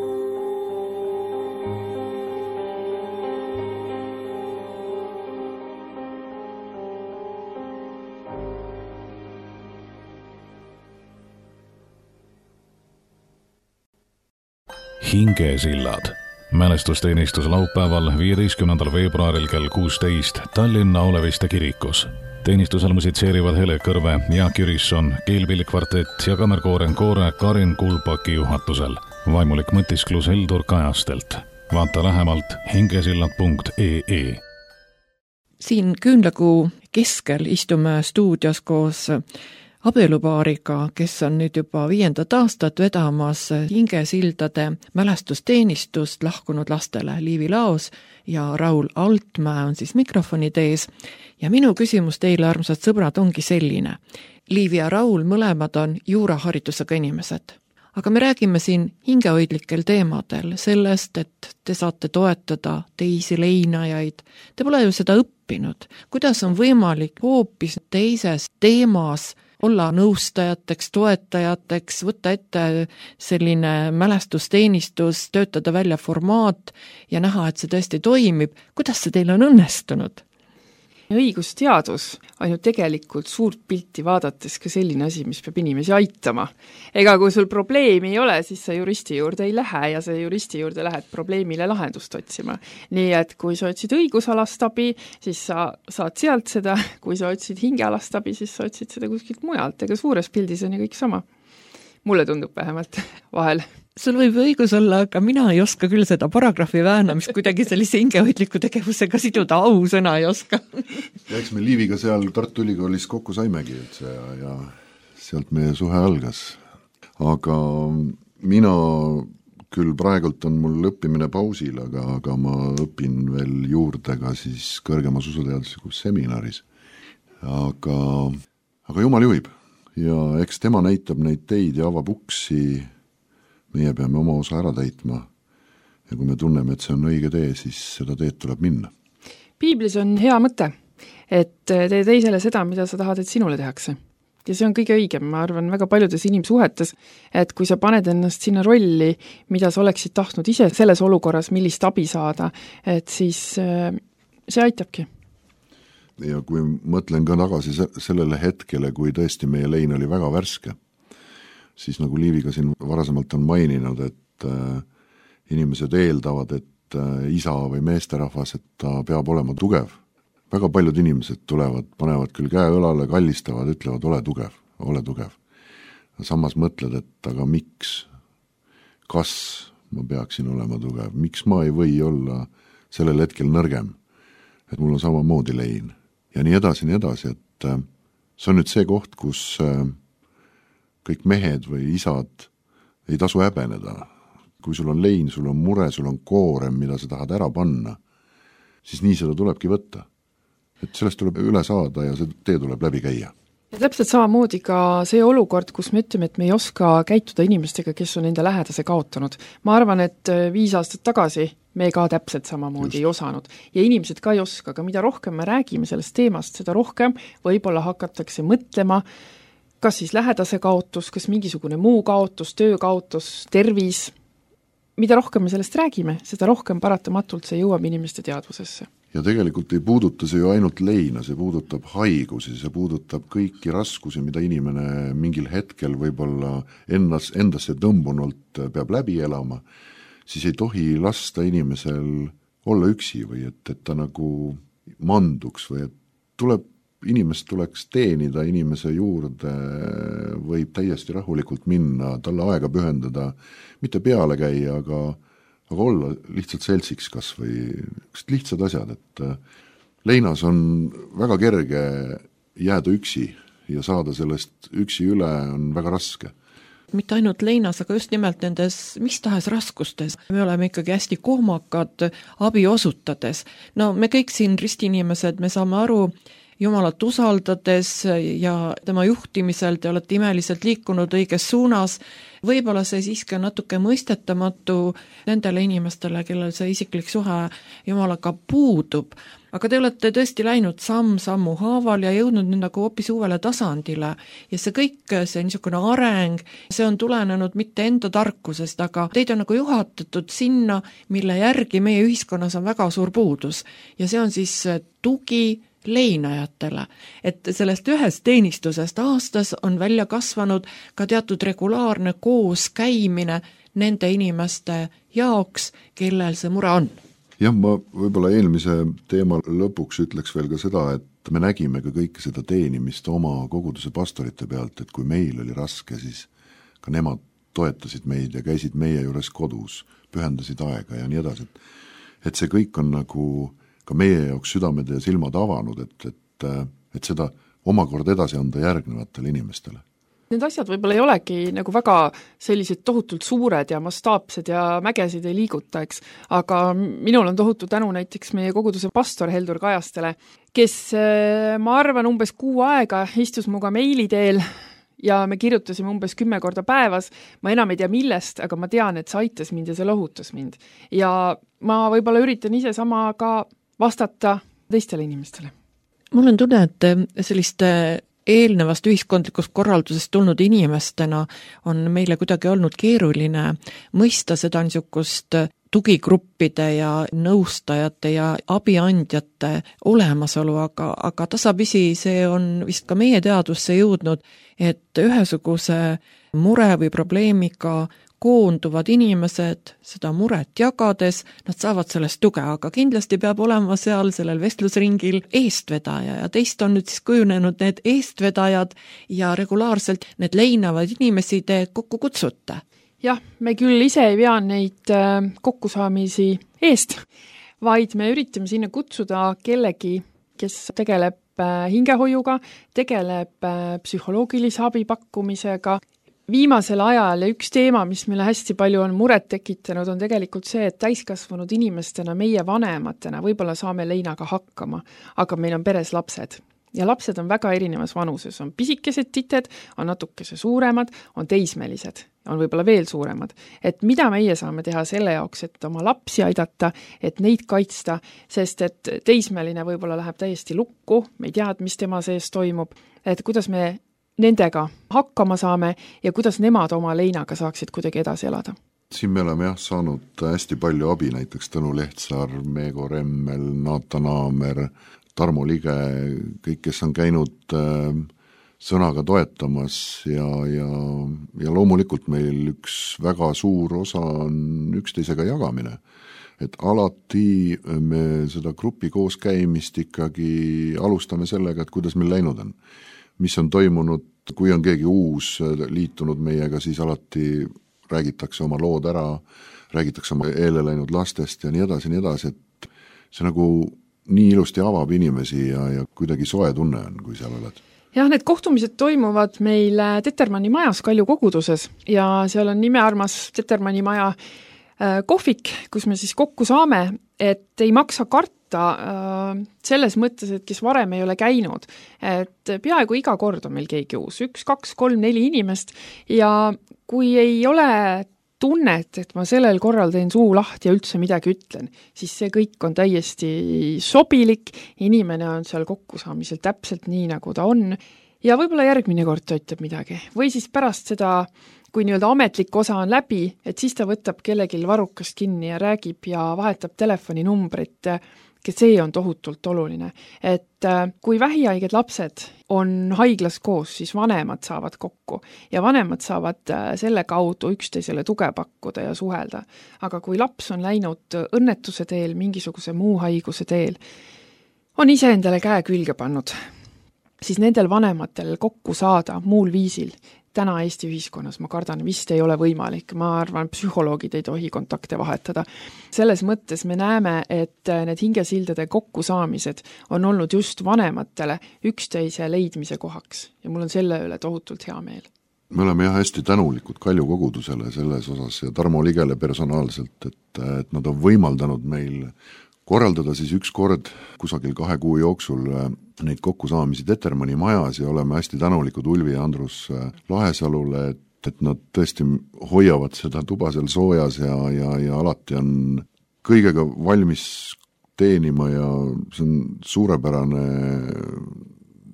Hingesillad. Mälestusteenistus laupäeval, viieteistkümnendal veebruaril kell kuusteist Tallinna Oleviste kirikus. Teenistusel musitseerivad Hele Kõrve, Jaak Jürisson, Keelpilli kvartett ja kammerkooren Koore Karin Kulbaki juhatusel. Vaimulik mõtisklus Heldur Kajastelt. Vaata lähemalt hingesillad punkt ee. Siin küünlakuu keskel istume stuudios koos abielupaariga, kes on nüüd juba viiendat aastat vedamas Hingesildade mälestusteenistust lahkunud lastele. Liivi Laos ja Raul Altmäe on siis mikrofonid ees. Ja minu küsimus teile, armsad sõbrad, ongi selline. Liivi ja Raul mõlemad on juuraharidusega inimesed. Aga me räägime siin hingehoidlikel teemadel sellest, et te saate toetada teisi leinajaid. Te pole ju seda õppinud. Kuidas on võimalik hoopis teises teemas olla nõustajateks, toetajateks, võtta ette selline mälestusteenistus, töötada välja formaat ja näha, et see tõesti toimib. Kuidas see teil on õnnestunud? õigusteadus on ju tegelikult suurt pilti vaadates ka selline asi, mis peab inimesi aitama. Ega kui sul probleemi ei ole, siis sa juristi juurde ei lähe ja sa juristi juurde lähed probleemile lahendust otsima. Nii et kui sa otsid õigusalast abi, siis sa saad sealt seda, kui sa otsid hingealast abi, siis sa otsid seda kuskilt mujalt, ega suures pildis on ju kõik sama. Mulle tundub vähemalt vahel. Sul võib õigus olla, aga mina ei oska küll seda paragrahvi väänamist kuidagi sellise hingehoidliku tegevusega siduda, ausõna ei oska. Ja eks me Liiviga seal Tartu Ülikoolis kokku saimegi üldse ja, ja sealt meie suhe algas. Aga mina küll praegult on mul õppimine pausil, aga, aga ma õpin veel juurde ka siis kõrgemas usuteaduslikus seminaris. Aga, aga jumal juhib ja eks tema näitab neid teid ja avab uksi. Meie peame oma osa ära täitma ja kui me tunneme, et see on õige tee, siis seda teed tuleb minna. Piiblis on hea mõte, et tee teisele seda, mida sa tahad, et sinule tehakse. Ja see on kõige õigem, ma arvan, väga paljudes inimsuhetes, et kui sa paned ennast sinna rolli, mida sa oleksid tahtnud ise selles olukorras, millist abi saada, et siis see aitabki. Ja kui mõtlen ka tagasi sellele hetkele, kui tõesti meie lein oli väga värske, siis nagu Liiviga siin varasemalt on maininud, et äh, inimesed eeldavad, et äh, isa või meesterahvas, et ta peab olema tugev. Väga paljud inimesed tulevad, panevad küll käe õlale, kallistavad, ütlevad, ole tugev, ole tugev. Samas mõtled, et aga miks, kas ma peaksin olema tugev, miks ma ei või olla sellel hetkel nõrgem, et mul on samamoodi lein. Ja nii edasi, nii edasi, et äh, see on nüüd see koht, kus äh, kõik mehed või isad ei tasu häbeneda. Kui sul on lein, sul on mure, sul on koorem, mida sa tahad ära panna, siis nii seda tulebki võtta. Et sellest tuleb üle saada ja see tee tuleb läbi käia. Ja täpselt samamoodi ka see olukord, kus me ütleme, et me ei oska käituda inimestega, kes on enda lähedase kaotanud. Ma arvan, et viis aastat tagasi me ka täpselt samamoodi Just. ei osanud. Ja inimesed ka ei oska, aga mida rohkem me räägime sellest teemast, seda rohkem võib-olla hakatakse mõtlema, kas siis lähedase kaotus, kas mingisugune muu kaotus, töö kaotus, tervis. Mida rohkem me sellest räägime, seda rohkem paratamatult see jõuab inimeste teadvusesse. Ja tegelikult ei puuduta see ju ainult leina, see puudutab haigusi, see puudutab kõiki raskusi, mida inimene mingil hetkel võib-olla endas, endasse tõmbunult peab läbi elama, siis ei tohi lasta inimesel olla üksi või et, et ta nagu manduks või et tuleb inimest tuleks teenida, inimese juurde võib täiesti rahulikult minna, talle aega pühendada, mitte peale käia, aga, aga olla lihtsalt seltsiks kas või lihtsad asjad, et leinas on väga kerge jääda üksi ja saada sellest üksi üle on väga raske. Mitte ainult leinas, aga just nimelt nendes mis tahes raskustes. Me oleme ikkagi hästi kohmakad abi osutades. No me kõik siin ristinimesed, me saame aru, Jumalat usaldades ja tema juhtimisel te olete imeliselt liikunud õiges suunas, võib-olla see siiski on natuke mõistetamatu nendele inimestele, kellel see isiklik suhe Jumalaga puudub, aga te olete tõesti läinud samm-sammu haaval ja jõudnud nüüd nagu hoopis uuele tasandile ja see kõik, see niisugune areng, see on tulenenud mitte enda tarkusest, aga teid on nagu juhatatud sinna, mille järgi meie ühiskonnas on väga suur puudus ja see on siis tugi leinajatele, et sellest ühest teenistusest aastas on välja kasvanud ka teatud regulaarne koos käimine nende inimeste jaoks, kellel see mure on. Jah, ma võib-olla eelmise teema lõpuks ütleks veel ka seda, et me nägime ka kõike seda teenimist oma koguduse pastorite pealt, et kui meil oli raske, siis ka nemad toetasid meid ja käisid meie juures kodus, pühendasid aega ja nii edasi. Et see kõik on nagu ka meie jaoks südamed ja silmad avanud, et, et, et seda omakorda edasi anda järgnevatele inimestele. Need asjad võib-olla ei olegi nagu väga sellised tohutult suured ja mastaapsed ja mägesid ei liiguta, eks. Aga minul on tohutu tänu näiteks meie koguduse pastor Heldur Kajastele, kes ma arvan umbes kuu aega istus muga meili teel ja me kirjutasime umbes kümme korda päevas. Ma enam ei tea millest, aga ma tean, et see aitas mind ja see lohutas mind. Ja ma võib-olla üritan ise sama ka vastata teistele inimestele. Mul on tunne, et selliste eelnevast ühiskondlikust korraldusest tulnud inimestena on meile kuidagi olnud keeruline mõista seda niisugust tugigruppide ja nõustajate ja abiandjate olemasolu, aga, aga tasapisi see on vist ka meie teadusse jõudnud, et ühesuguse mure või probleemiga koonduvad inimesed seda muret jagades, nad saavad sellest tuge, aga kindlasti peab olema seal sellel vestlusringil eestvedaja ja teist on nüüd siis kujunenud need eestvedajad ja regulaarselt need leinavad inimesi te kokku kutsute. Jah, me küll ise ei pea neid kokkusaamisi eest, vaid me üritame sinna kutsuda kellegi, kes tegeleb hingehoiuga, tegeleb psühholoogilise abi pakkumisega. Viimasel ajal ja üks teema, mis meile hästi palju on muret tekitanud, on tegelikult see, et täiskasvanud inimestena, meie vanematena võib-olla saame leinaga hakkama, aga meil on peres lapsed. Ja lapsed on väga erinevas vanuses, on pisikesed tited, on natukese suuremad, on teismelised, on võib-olla veel suuremad. Et mida meie saame teha selle jaoks, et oma lapsi aidata, et neid kaitsta, sest et teismeline võib-olla läheb täiesti lukku, me ei tea, mis tema sees toimub, et kuidas me nendega hakkama saame ja kuidas nemad oma leinaga saaksid kuidagi edasi elada. Siin me oleme jah saanud hästi palju abi, näiteks Tõnu Lehtsaar, Meego Remmel, Naata Naamer, Tarmo Lige, kõik, kes on käinud sõnaga toetamas ja, ja, ja loomulikult meil üks väga suur osa on üksteisega jagamine. Et alati me seda grupi kooskäimist ikkagi alustame sellega, et kuidas meil läinud on. Mis on toimunud, kui on keegi uus liitunud meiega, siis alati räägitakse oma lood ära, räägitakse oma eele läinud lastest ja nii edasi, nii edasi, et see nagu nii ilusti avab inimesi ja, ja kuidagi soe tunne on, kui seal oled. Jah, need kohtumised toimuvad meil Tetermanni majas Kalju koguduses ja seal on nimearmas Tetermanni maja kohvik, kus me siis kokku saame, et ei maksa karta selles mõttes, et kes varem ei ole käinud, et peaaegu iga kord on meil keegi uus, üks, kaks, kolm, neli inimest ja kui ei ole tunnet, et ma sellel korral teen suu lahti ja üldse midagi ütlen, siis see kõik on täiesti sobilik, inimene on seal kokkusaamisel täpselt nii, nagu ta on ja võib-olla järgmine kord ta ütleb midagi või siis pärast seda kui nii-öelda ametlik osa on läbi, et siis ta võtab kellegil varrukast kinni ja räägib ja vahetab telefoninumbrit, kes see on tohutult oluline. Et kui vähihaiged lapsed on haiglas koos, siis vanemad saavad kokku ja vanemad saavad selle kaudu üksteisele tuge pakkuda ja suhelda. Aga kui laps on läinud õnnetuse teel, mingisuguse muu haiguse teel, on ise endale käe külge pannud, siis nendel vanematel kokku saada muul viisil täna Eesti ühiskonnas, ma kardan, vist ei ole võimalik. Ma arvan, psühholoogid ei tohi kontakte vahetada. Selles mõttes me näeme, et need hingesildade kokkusaamised on olnud just vanematele üksteise leidmise kohaks ja mul on selle üle tohutult hea meel. Me oleme jah hästi tänulikud Kalju kogudusele selles osas ja Tarmo Ligele personaalselt, et, et nad on võimaldanud meil korraldada siis üks kord kusagil kahe kuu jooksul neid kokkusaamisi Tetermanni majas ja oleme hästi tänulikud Ulvi ja Andrus Lahesalule, et, et nad tõesti hoiavad seda tuba seal soojas ja, ja, ja alati on kõigega valmis teenima ja see on suurepärane,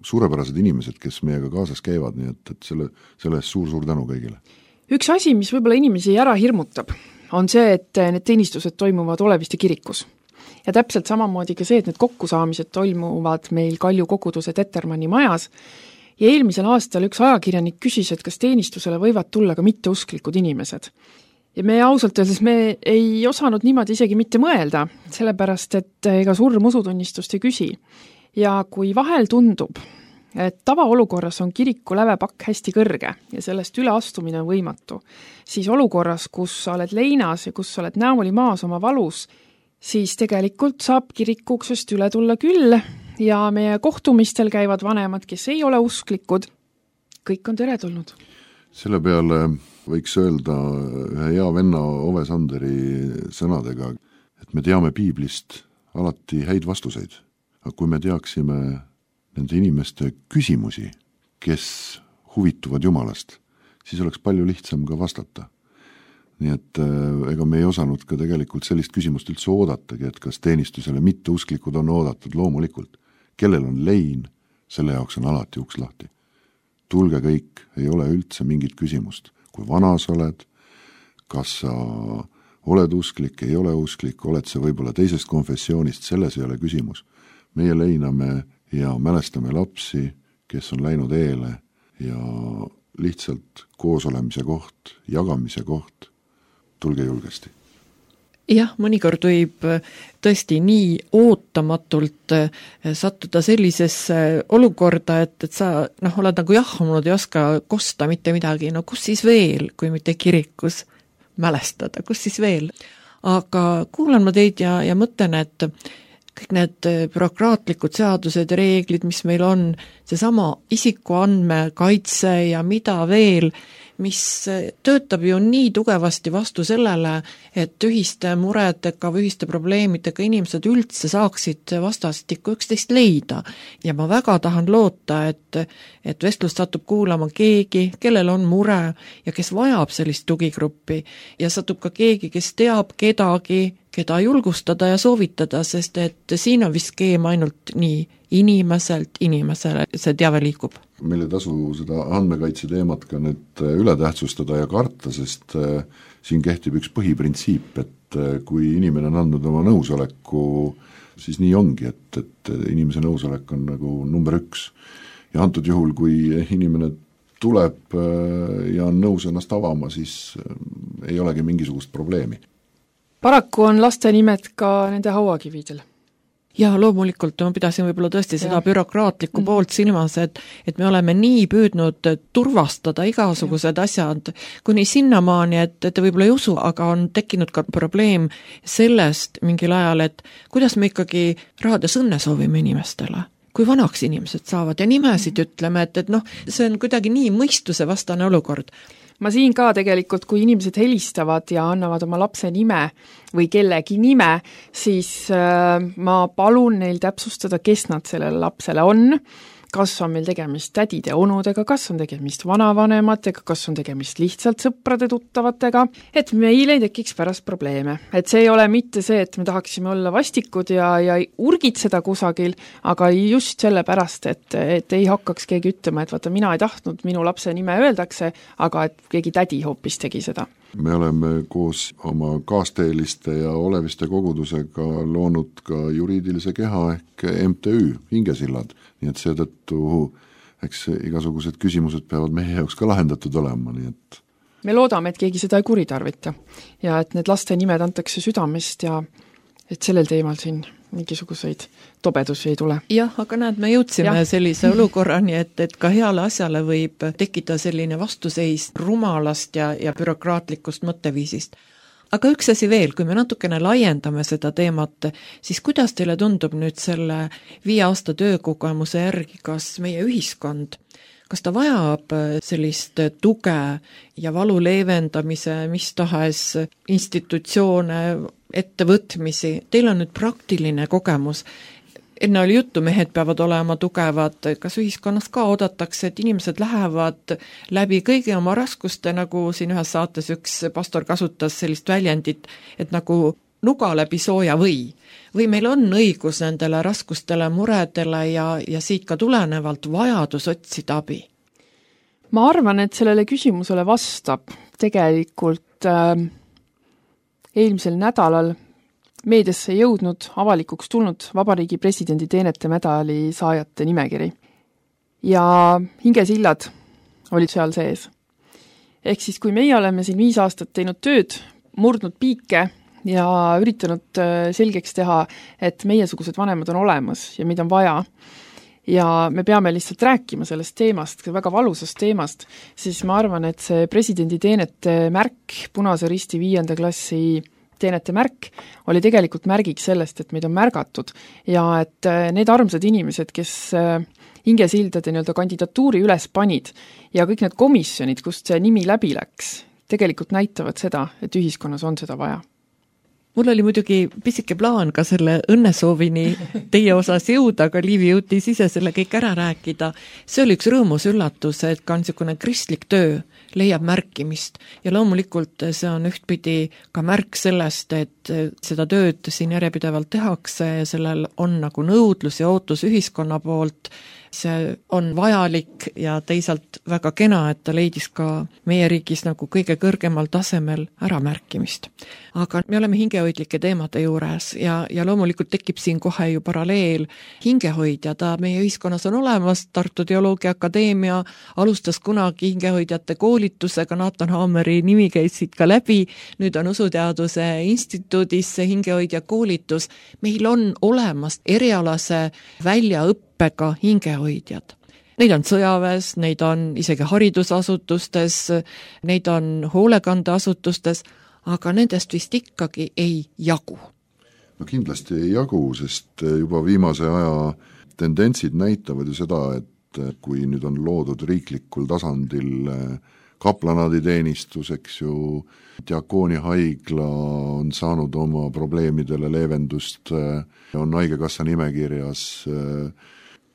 suurepärased inimesed, kes meiega kaasas käivad, nii et, et selle, selle eest suur-suur tänu kõigile. Üks asi, mis võib-olla inimesi ära hirmutab, on see, et need teenistused toimuvad Oleviste kirikus. Ja täpselt samamoodi ka see, et need kokkusaamised toimuvad meil Kalju koguduse Tetermanni majas. Ja eelmisel aastal üks ajakirjanik küsis, et kas teenistusele võivad tulla ka mitteusklikud inimesed. Ja me ausalt öeldes me ei osanud niimoodi isegi mitte mõelda, sellepärast, et ega surm usutunnistust ei küsi. Ja kui vahel tundub, et tavaolukorras on kiriku lävepakk hästi kõrge ja sellest üle astumine on võimatu, siis olukorras, kus sa oled leinas ja kus sa oled näoli maas oma valus, siis tegelikult saab kirikuksest üle tulla küll ja meie kohtumistel käivad vanemad, kes ei ole usklikud, kõik on teretulnud. Selle peale võiks öelda ühe hea venna Ove Sanderi sõnadega, et me teame piiblist alati häid vastuseid, aga kui me teaksime nende inimeste küsimusi, kes huvituvad Jumalast, siis oleks palju lihtsam ka vastata. Nii et ega me ei osanud ka tegelikult sellist küsimust üldse oodatagi, et kas teenistusele mitteusklikud on oodatud loomulikult. Kellel on lein, selle jaoks on alati uks lahti. Tulge kõik, ei ole üldse mingit küsimust. Kui vana sa oled, kas sa oled usklik, ei ole usklik, oled sa võib-olla teisest konfessioonist, selles ei ole küsimus. Meie leiname ja mälestame lapsi, kes on läinud eele ja lihtsalt koosolemise koht, jagamise koht, tulge julgesti. Jah, mõnikord võib tõesti nii ootamatult sattuda sellisesse olukorda, et, et sa noh, oled nagu jahmunud ja oska kosta mitte midagi, no kus siis veel, kui mitte kirikus mälestada, kus siis veel. Aga kuulan ma teid ja, ja mõtlen, et kõik need bürokraatlikud seadused ja reeglid, mis meil on, seesama isikuandme kaitse ja mida veel, mis töötab ju nii tugevasti vastu sellele, et ühiste muredega või ühiste probleemidega inimesed üldse saaksid vastastikku üksteist leida. Ja ma väga tahan loota, et, et vestlust satub kuulama keegi, kellel on mure ja kes vajab sellist tugigruppi ja satub ka keegi, kes teab kedagi, keda julgustada ja soovitada, sest et siin on vist skeem ainult nii inimeselt inimesele, see teave liigub. Meil ei tasu seda andmekaitse teemat ka nüüd üle tähtsustada ja karta, sest siin kehtib üks põhiprintsiip, et kui inimene on andnud oma nõusoleku, siis nii ongi, et, et inimese nõusolek on nagu number üks. Ja antud juhul, kui inimene tuleb ja on nõus ennast avama, siis ei olegi mingisugust probleemi. Paraku on laste nimed ka nende hauakividel. Ja loomulikult ma pidasin võib-olla tõesti seda ja. bürokraatlikku mm. poolt silmas, et, et me oleme nii püüdnud turvastada igasugused ja. asjad kuni sinnamaani, et, et te võib-olla ei usu, aga on tekkinud ka probleem sellest mingil ajal, et kuidas me ikkagi rahades õnne soovime inimestele, kui vanaks inimesed saavad ja nimesid ütleme, et, et noh, see on kuidagi nii mõistuse vastane olukord. Ma siin ka tegelikult, kui inimesed helistavad ja annavad oma lapse nime või kellegi nime, siis äh, ma palun neil täpsustada, kes nad sellele lapsele on, kas on meil tegemist tädide onudega, kas on tegemist vanavanematega, kas on tegemist lihtsalt sõprade tuttavatega, et meil ei tekiks pärast probleeme. Et see ei ole mitte see, et me tahaksime olla vastikud ja, ja urgitseda kusagil, aga just selle pärast, et, et ei hakkaks keegi ütlema, et vaata, mina ei tahtnud, minu lapse nime öeldakse, aga et keegi tädi hoopis tegi seda. Me oleme koos oma kaasteeliste ja oleviste kogudusega loonud ka juriidilise keha ehk M T Ü, Hingesillad, nii et seetõttu eks igasugused küsimused peavad meie jaoks ka lahendatud olema, nii et me loodame, et keegi seda ei kuritarvita ja et need laste nimed antakse südamest ja et sellel teemal siin mingisuguseid tobedusi ei tule. Jah, aga näed, me jõudsime ja. sellise olukorrani, et, et ka heale asjale võib tekkida selline vastuseis rumalast ja, ja bürokraatlikust mõtteviisist. Aga üks asi veel, kui me natukene laiendame seda teemat, siis kuidas teile tundub nüüd selle viie aasta töökogemuse järgi, kas meie ühiskond, kas ta vajab sellist tuge ja valu leevendamise, mis tahes institutsioone, ettevõtmisi, teil on nüüd praktiline kogemus. Enne oli juttu, mehed peavad olema tugevad, kas ühiskonnas ka oodatakse, et inimesed lähevad läbi kõigi oma raskuste, nagu siin ühes saates üks pastor kasutas sellist väljendit, et nagu nuga läbi sooja või. Või meil on õigus nendele raskustele, muredele ja, ja siit ka tulenevalt vajadus otsida abi? Ma arvan, et sellele küsimusele vastab tegelikult äh, eelmisel nädalal meediasse jõudnud, avalikuks tulnud Vabariigi presidendi teenete medali saajate nimekiri. Ja hingesillad olid seal sees. Ehk siis, kui meie oleme siin viis aastat teinud tööd, murdnud piike ja üritanud selgeks teha, et meiesugused vanemad on olemas ja mida on vaja, ja me peame lihtsalt rääkima sellest teemast, väga valusast teemast, siis ma arvan, et see presidendi teenete märk, Punase Risti viienda klassi teenete märk, oli tegelikult märgiks sellest, et meid on märgatud ja et need armsad inimesed, kes hingesildade nii-öelda kandidatuuri üles panid ja kõik need komisjonid, kust see nimi läbi läks, tegelikult näitavad seda, et ühiskonnas on seda vaja. Mul oli muidugi pisike plaan ka selle õnnesoovini teie osas jõuda, aga Liivi jõutis ise selle kõik ära rääkida. See oli üks rõõmus üllatus, et ka niisugune kristlik töö leiab märkimist ja loomulikult see on ühtpidi ka märk sellest, et seda tööd siin järjepidevalt tehakse ja sellel on nagu nõudlus ja ootus ühiskonna poolt see on vajalik ja teisalt väga kena, et ta leidis ka meie riigis nagu kõige kõrgemal tasemel äramärkimist. Aga me oleme hingehoidlike teemade juures ja, ja loomulikult tekib siin kohe ju paralleel hingehoidja, ta meie ühiskonnas on olemas, Tartu Teoloogia Akadeemia alustas kunagi hingehoidjate koolitusega, Nathan Hammeri nimi käis siit ka läbi, nüüd on Usuteaduse instituudis see hingehoidja koolitus, meil on olemas erialase väljaõppega hingehoidjad. Neid on sõjaväes, neid on isegi haridusasutustes, neid on hoolekandeasutustes, aga nendest vist ikkagi ei jagu. No kindlasti ei jagu, sest juba viimase aja tendentsid näitavad ju seda, et kui nüüd on loodud riiklikul tasandil kaplanaaditeenistus, eks ju, Diakooni haigla on saanud oma probleemidele leevendust, on haigekassa nimekirjas,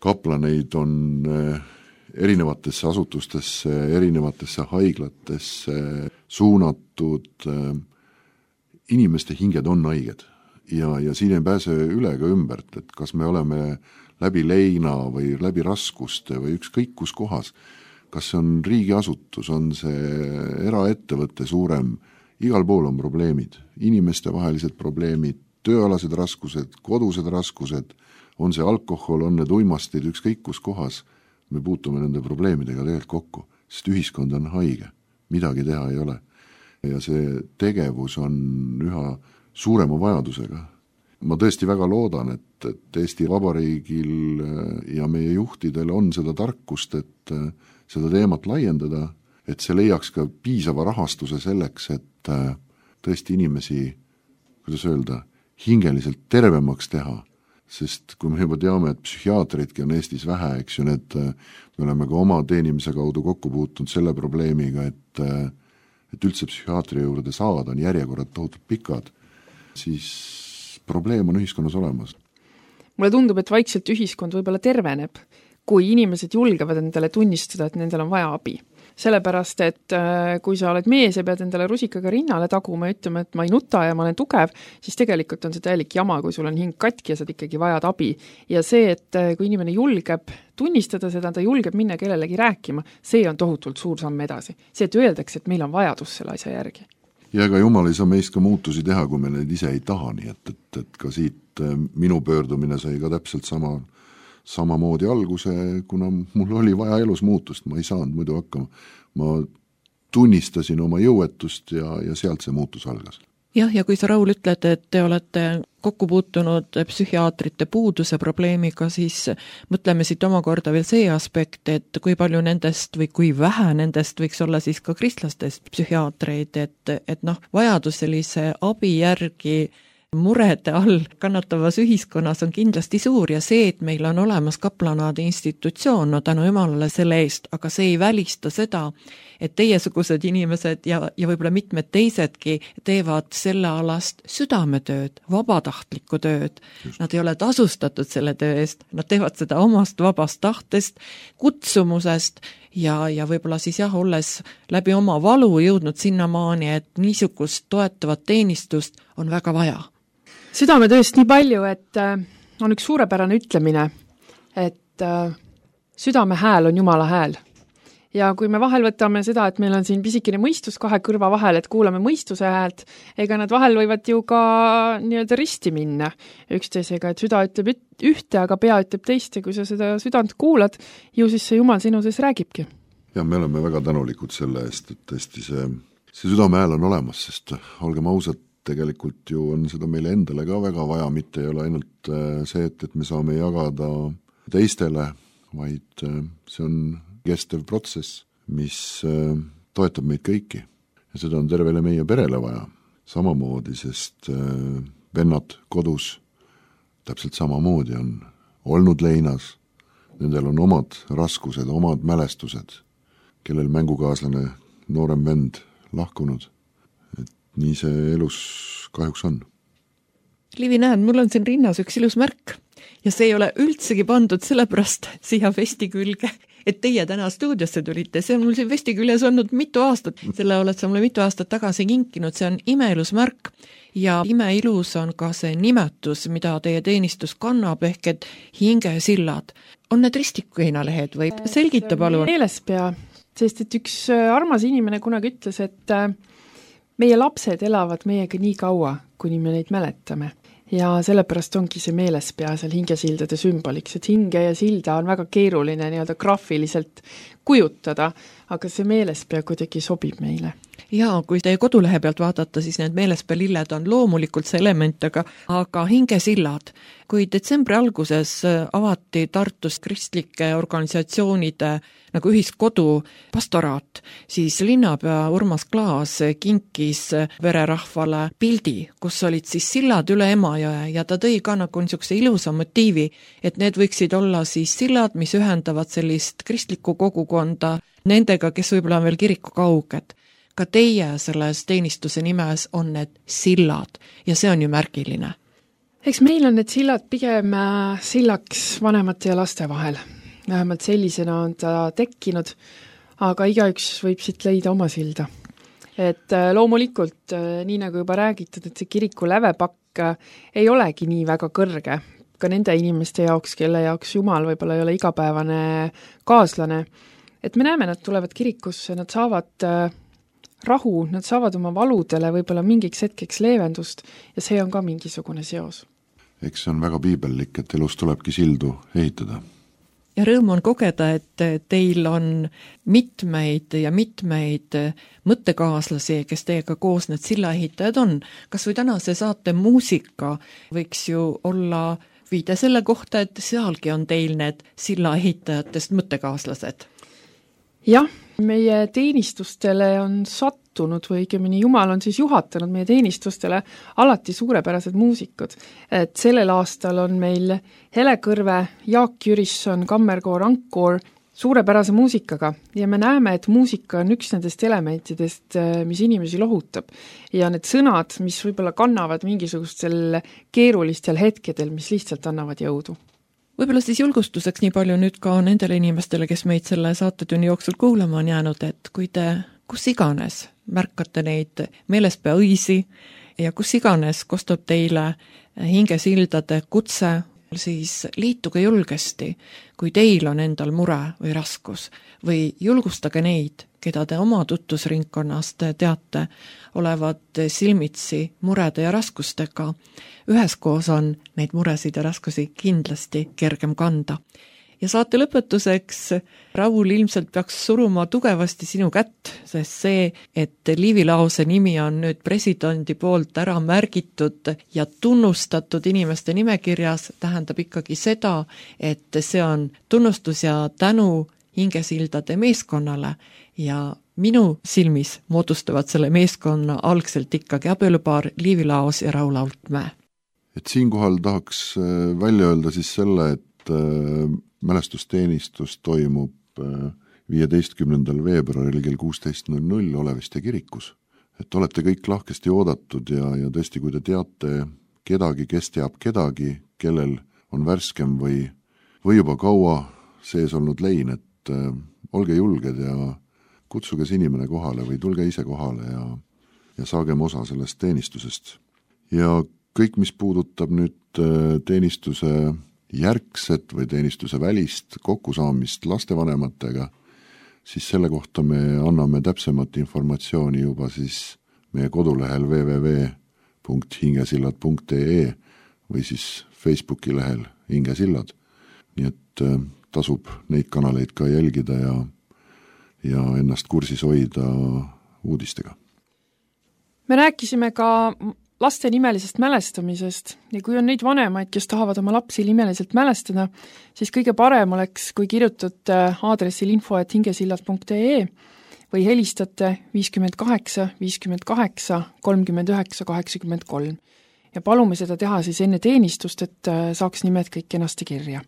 kaplaneid on erinevatesse asutustesse, erinevatesse haiglatesse suunatud, inimeste hinged on haiged ja, ja siin ei pääse üle ka ümbert, et kas me oleme läbi leina või läbi raskuste või ükskõik kus kohas, kas see on riigiasutus, on see eraettevõtte suurem, igal pool on probleemid, inimeste vahelised probleemid, tööalased raskused, kodused raskused, on see alkohol, on need uimastid, ükskõik kus kohas, me puutume nende probleemidega tegelikult kokku, sest ühiskond on haige, midagi teha ei ole. Ja see tegevus on üha suurema vajadusega. Ma tõesti väga loodan, et, et Eesti Vabariigil ja meie juhtidel on seda tarkust, et seda teemat laiendada, et see leiaks ka piisava rahastuse selleks, et tõesti inimesi, kuidas öelda, hingeliselt tervemaks teha, sest kui me juba teame, et psühhiaatritki on Eestis vähe, eks ju, need, me oleme ka oma teenimise kaudu kokku puutunud selle probleemiga, et, et üldse psühhiaatri juurde saada on järjekorrad tohutult pikad, siis probleem on ühiskonnas olemas. Mulle tundub, et vaikselt ühiskond võib-olla terveneb, kui inimesed julgevad endale tunnistada, et nendel on vaja abi. Sellepärast, et kui sa oled mees ja pead endale rusikaga rinnale taguma ja ütlema, et ma ei nuta ja ma olen tugev, siis tegelikult on see täielik jama, kui sul on hing katki ja sa ikkagi vajad abi. Ja see, et kui inimene julgeb tunnistada seda, ta julgeb minna kellelegi rääkima, see on tohutult suur samm edasi. See, et öeldakse, et meil on vajadus selle asja järgi. Ja ega Jumal ei saa meist ka muutusi teha, kui me neid ise ei taha, nii et, et, et ka siit minu pöördumine sai ka täpselt sama samamoodi alguse, kuna mul oli vaja elus muutust, ma ei saanud muidu hakkama. Ma tunnistasin oma jõuetust ja, ja sealt see muutus algas. Jah, ja kui sa, Raul, ütled, et te olete kokku puutunud psühhiaatrite puuduse probleemiga, siis mõtleme siit omakorda veel see aspekt, et kui palju nendest või kui vähe nendest võiks olla siis ka kristlastest psühhiaatreid, et, et noh, vajadus sellise abi järgi murede all kannatavas ühiskonnas on kindlasti suur ja see, et meil on olemas kaplanaadi institutsioon, no tänu Jumalale selle eest, aga see ei välista seda, et teiesugused inimesed ja, ja võib-olla mitmed teisedki teevad selle alast südametööd, vabatahtlikku tööd. Just. Nad ei ole tasustatud selle töö eest, nad teevad seda omast vabast tahtest, kutsumusest ja, ja võib-olla siis jah, olles läbi oma valu jõudnud sinnamaani, et niisugust toetavat teenistust on väga vaja. Südametööst nii palju, et on üks suurepärane ütlemine, et südame hääl on Jumala hääl. Ja kui me vahel võtame seda, et meil on siin pisikene mõistus kahe kõrva vahel, et kuulame mõistuse häält, ega nad vahel võivad ju ka nii-öelda risti minna üksteisega, et süda ütleb ühte, aga pea ütleb teist ja kui sa seda südant kuulad, ju siis see Jumal sinu sees räägibki. Ja me oleme väga tänulikud selle eest, et tõesti see, see südame hääl on olemas, sest olgem ausad, tegelikult ju on seda meile endale ka väga vaja, mitte ei ole ainult see, et, et me saame jagada teistele, vaid see on kestev protsess, mis toetab meid kõiki. Ja seda on tervele meie perele vaja. Samamoodi, sest vennad kodus täpselt samamoodi on olnud leinas, nendel on omad raskused, omad mälestused, kellel mängukaaslane, noorem vend lahkunud. Nii see elus kahjuks on. Liivi, näed, mul on siin rinnas üks ilus märk ja see ei ole üldsegi pandud sellepärast siia vesti külge, et teie täna stuudiosse tulite. See on mul siin vesti küljes olnud mitu aastat, selle oled sa mulle mitu aastat tagasi kinkinud, see on imelus märk ja imeilus on ka see nimetus, mida teie teenistus kannab, ehk et hingesillad. On need ristikukeinalehed või selgita palun? Meelespea, sest et üks armas inimene kunagi ütles, et meie lapsed elavad meiega nii kaua, kuni me neid mäletame. Ja sellepärast ongi see meelespea seal hingesildade sümboliks, et hinge ja silda on väga keeruline nii-öelda graafiliselt kujutada, aga see meelespea kuidagi sobib meile. Jaa, kui teie kodulehe pealt vaadata, siis need meelespea lilled on loomulikult see element, aga, aga hingesillad. Kui detsembri alguses avati Tartus kristlike organisatsioonide nagu ühiskodu pastoraat, siis linnapea Urmas Klaas kinkis vererahvale pildi, kus olid siis sillad üle Emajõe ja ta tõi ka nagu niisuguse ilusa motiivi, et need võiksid olla siis sillad, mis ühendavad sellist kristlikku kogukonda nendega, kes võib-olla on veel kiriku kauged. Ka teie selles teenistuse nimes on need sillad ja see on ju märgiline. Eks meil on need sillad pigem sillaks vanemate ja laste vahel. Vähemalt sellisena on ta tekkinud, aga igaüks võib siit leida oma silda. Et loomulikult, nii nagu juba räägitud, et see kiriku lävepakk ei olegi nii väga kõrge. Ka nende inimeste jaoks, kelle jaoks Jumal võib-olla ei ole igapäevane kaaslane. Et me näeme, nad tulevad kirikusse, nad saavad rahu, nad saavad oma valudele võib-olla mingiks hetkeks leevendust ja see on ka mingisugune seos. Eks see on väga piibellik, et elus tulebki sildu ehitada. Ja rõõm on kogeda, et teil on mitmeid ja mitmeid mõttekaaslasi, kes teiega koos need sillaehitajad on. Kas või tänase saate muusika võiks ju olla viide selle kohta, et sealgi on teil need sillaehitajatest mõttekaaslased? Jah, meie teenistustele on sattunud või õigemini Jumal on siis juhatanud meie teenistustele alati suurepärased muusikud. Et sellel aastal on meil Hele Kõrve, Jaak Jürisson, kammerkoor, ankkoor suurepärase muusikaga ja me näeme, et muusika on üks nendest elementidest, mis inimesi lohutab. Ja need sõnad, mis võib-olla kannavad mingisugustel keerulistel hetkedel, mis lihtsalt annavad jõudu. Võib-olla siis julgustuseks nii palju nüüd ka nendele inimestele, kes meid selle saatetunni jooksul kuulama on jäänud, et kui te kus iganes märkate neid meelespea õisi ja kus iganes kostab teile hingesildade kutse, siis liituge julgesti, kui teil on endal mure või raskus või julgustage neid, keda te oma tutvusringkonnast teate, olevat silmitsi murede ja raskustega. Üheskoos on neid muresid ja raskusi kindlasti kergem kanda. Ja saate lõpetuseks Raul ilmselt peaks suruma tugevasti sinu kätt, sest see, et Liivi Laose nimi on nüüd presidendi poolt ära märgitud ja tunnustatud inimeste nimekirjas, tähendab ikkagi seda, et see on tunnustus ja tänu hingesildade meeskonnale ja minu silmis moodustavad selle meeskonna algselt ikkagi abielupaar Liivi Laos ja Raul Altmäe. Et siinkohal tahaks välja öelda siis selle, et mälestusteenistus toimub viieteistkümnendal veebruaril kell kuusteist null null Oleviste kirikus. Et olete kõik lahkesti oodatud ja, ja tõesti, kui te teate kedagi, kes teab kedagi, kellel on värskem või, või juba kaua sees olnud lein, et äh, olge julged ja kutsuge see inimene kohale või tulge ise kohale ja, ja saagem osa sellest teenistusest. Ja kõik, mis puudutab nüüd äh, teenistuse järgset või teenistuse välist kokkusaamist lastevanematega, siis selle kohta me anname täpsemat informatsiooni juba siis meie kodulehel w w w punkt hingesillad punkt e e või siis Facebooki lehel Hingesillad. Nii et äh, tasub neid kanaleid ka jälgida ja, ja ennast kursis hoida uudistega. Me rääkisime ka laste nimelisest mälestamisest ja kui on neid vanemaid, kes tahavad oma lapsi nimeliselt mälestada, siis kõige parem oleks, kui kirjutate aadressil info et hingesillad punkt e e või helistate viiskümmend kaheksa, viiskümmend kaheksa, kolmkümmend üheksa, kaheksakümmend kolm. Ja palume seda teha siis enne teenistust, et saaks nimed kõik kenasti kirja.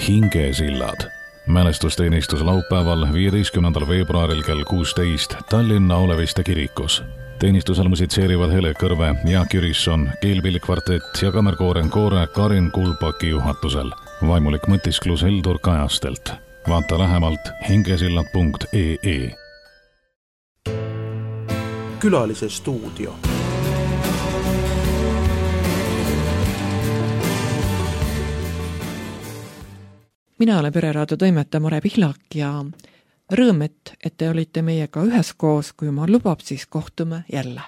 Hingesillad. Mälestusteenistus laupäeval, viieteistkümnendal veebruaril kell kuusteist Tallinna Oleviste kirikus. Teenistusel musitseerivad Hele Kõrve, Jaak Jürisson, keelpillikvartett ja kammerkooren koore Karin Kulbaki juhatusel. Vaimulik mõtisklus Heldur Kajastelt. Vaata lähemalt hingesillad punkt ee. Külalise stuudio. Mina olen Pereraadio toimetaja Mare Pihlak ja rõõm, et, et te olite meiega üheskoos, kui ma lubab, siis kohtume jälle.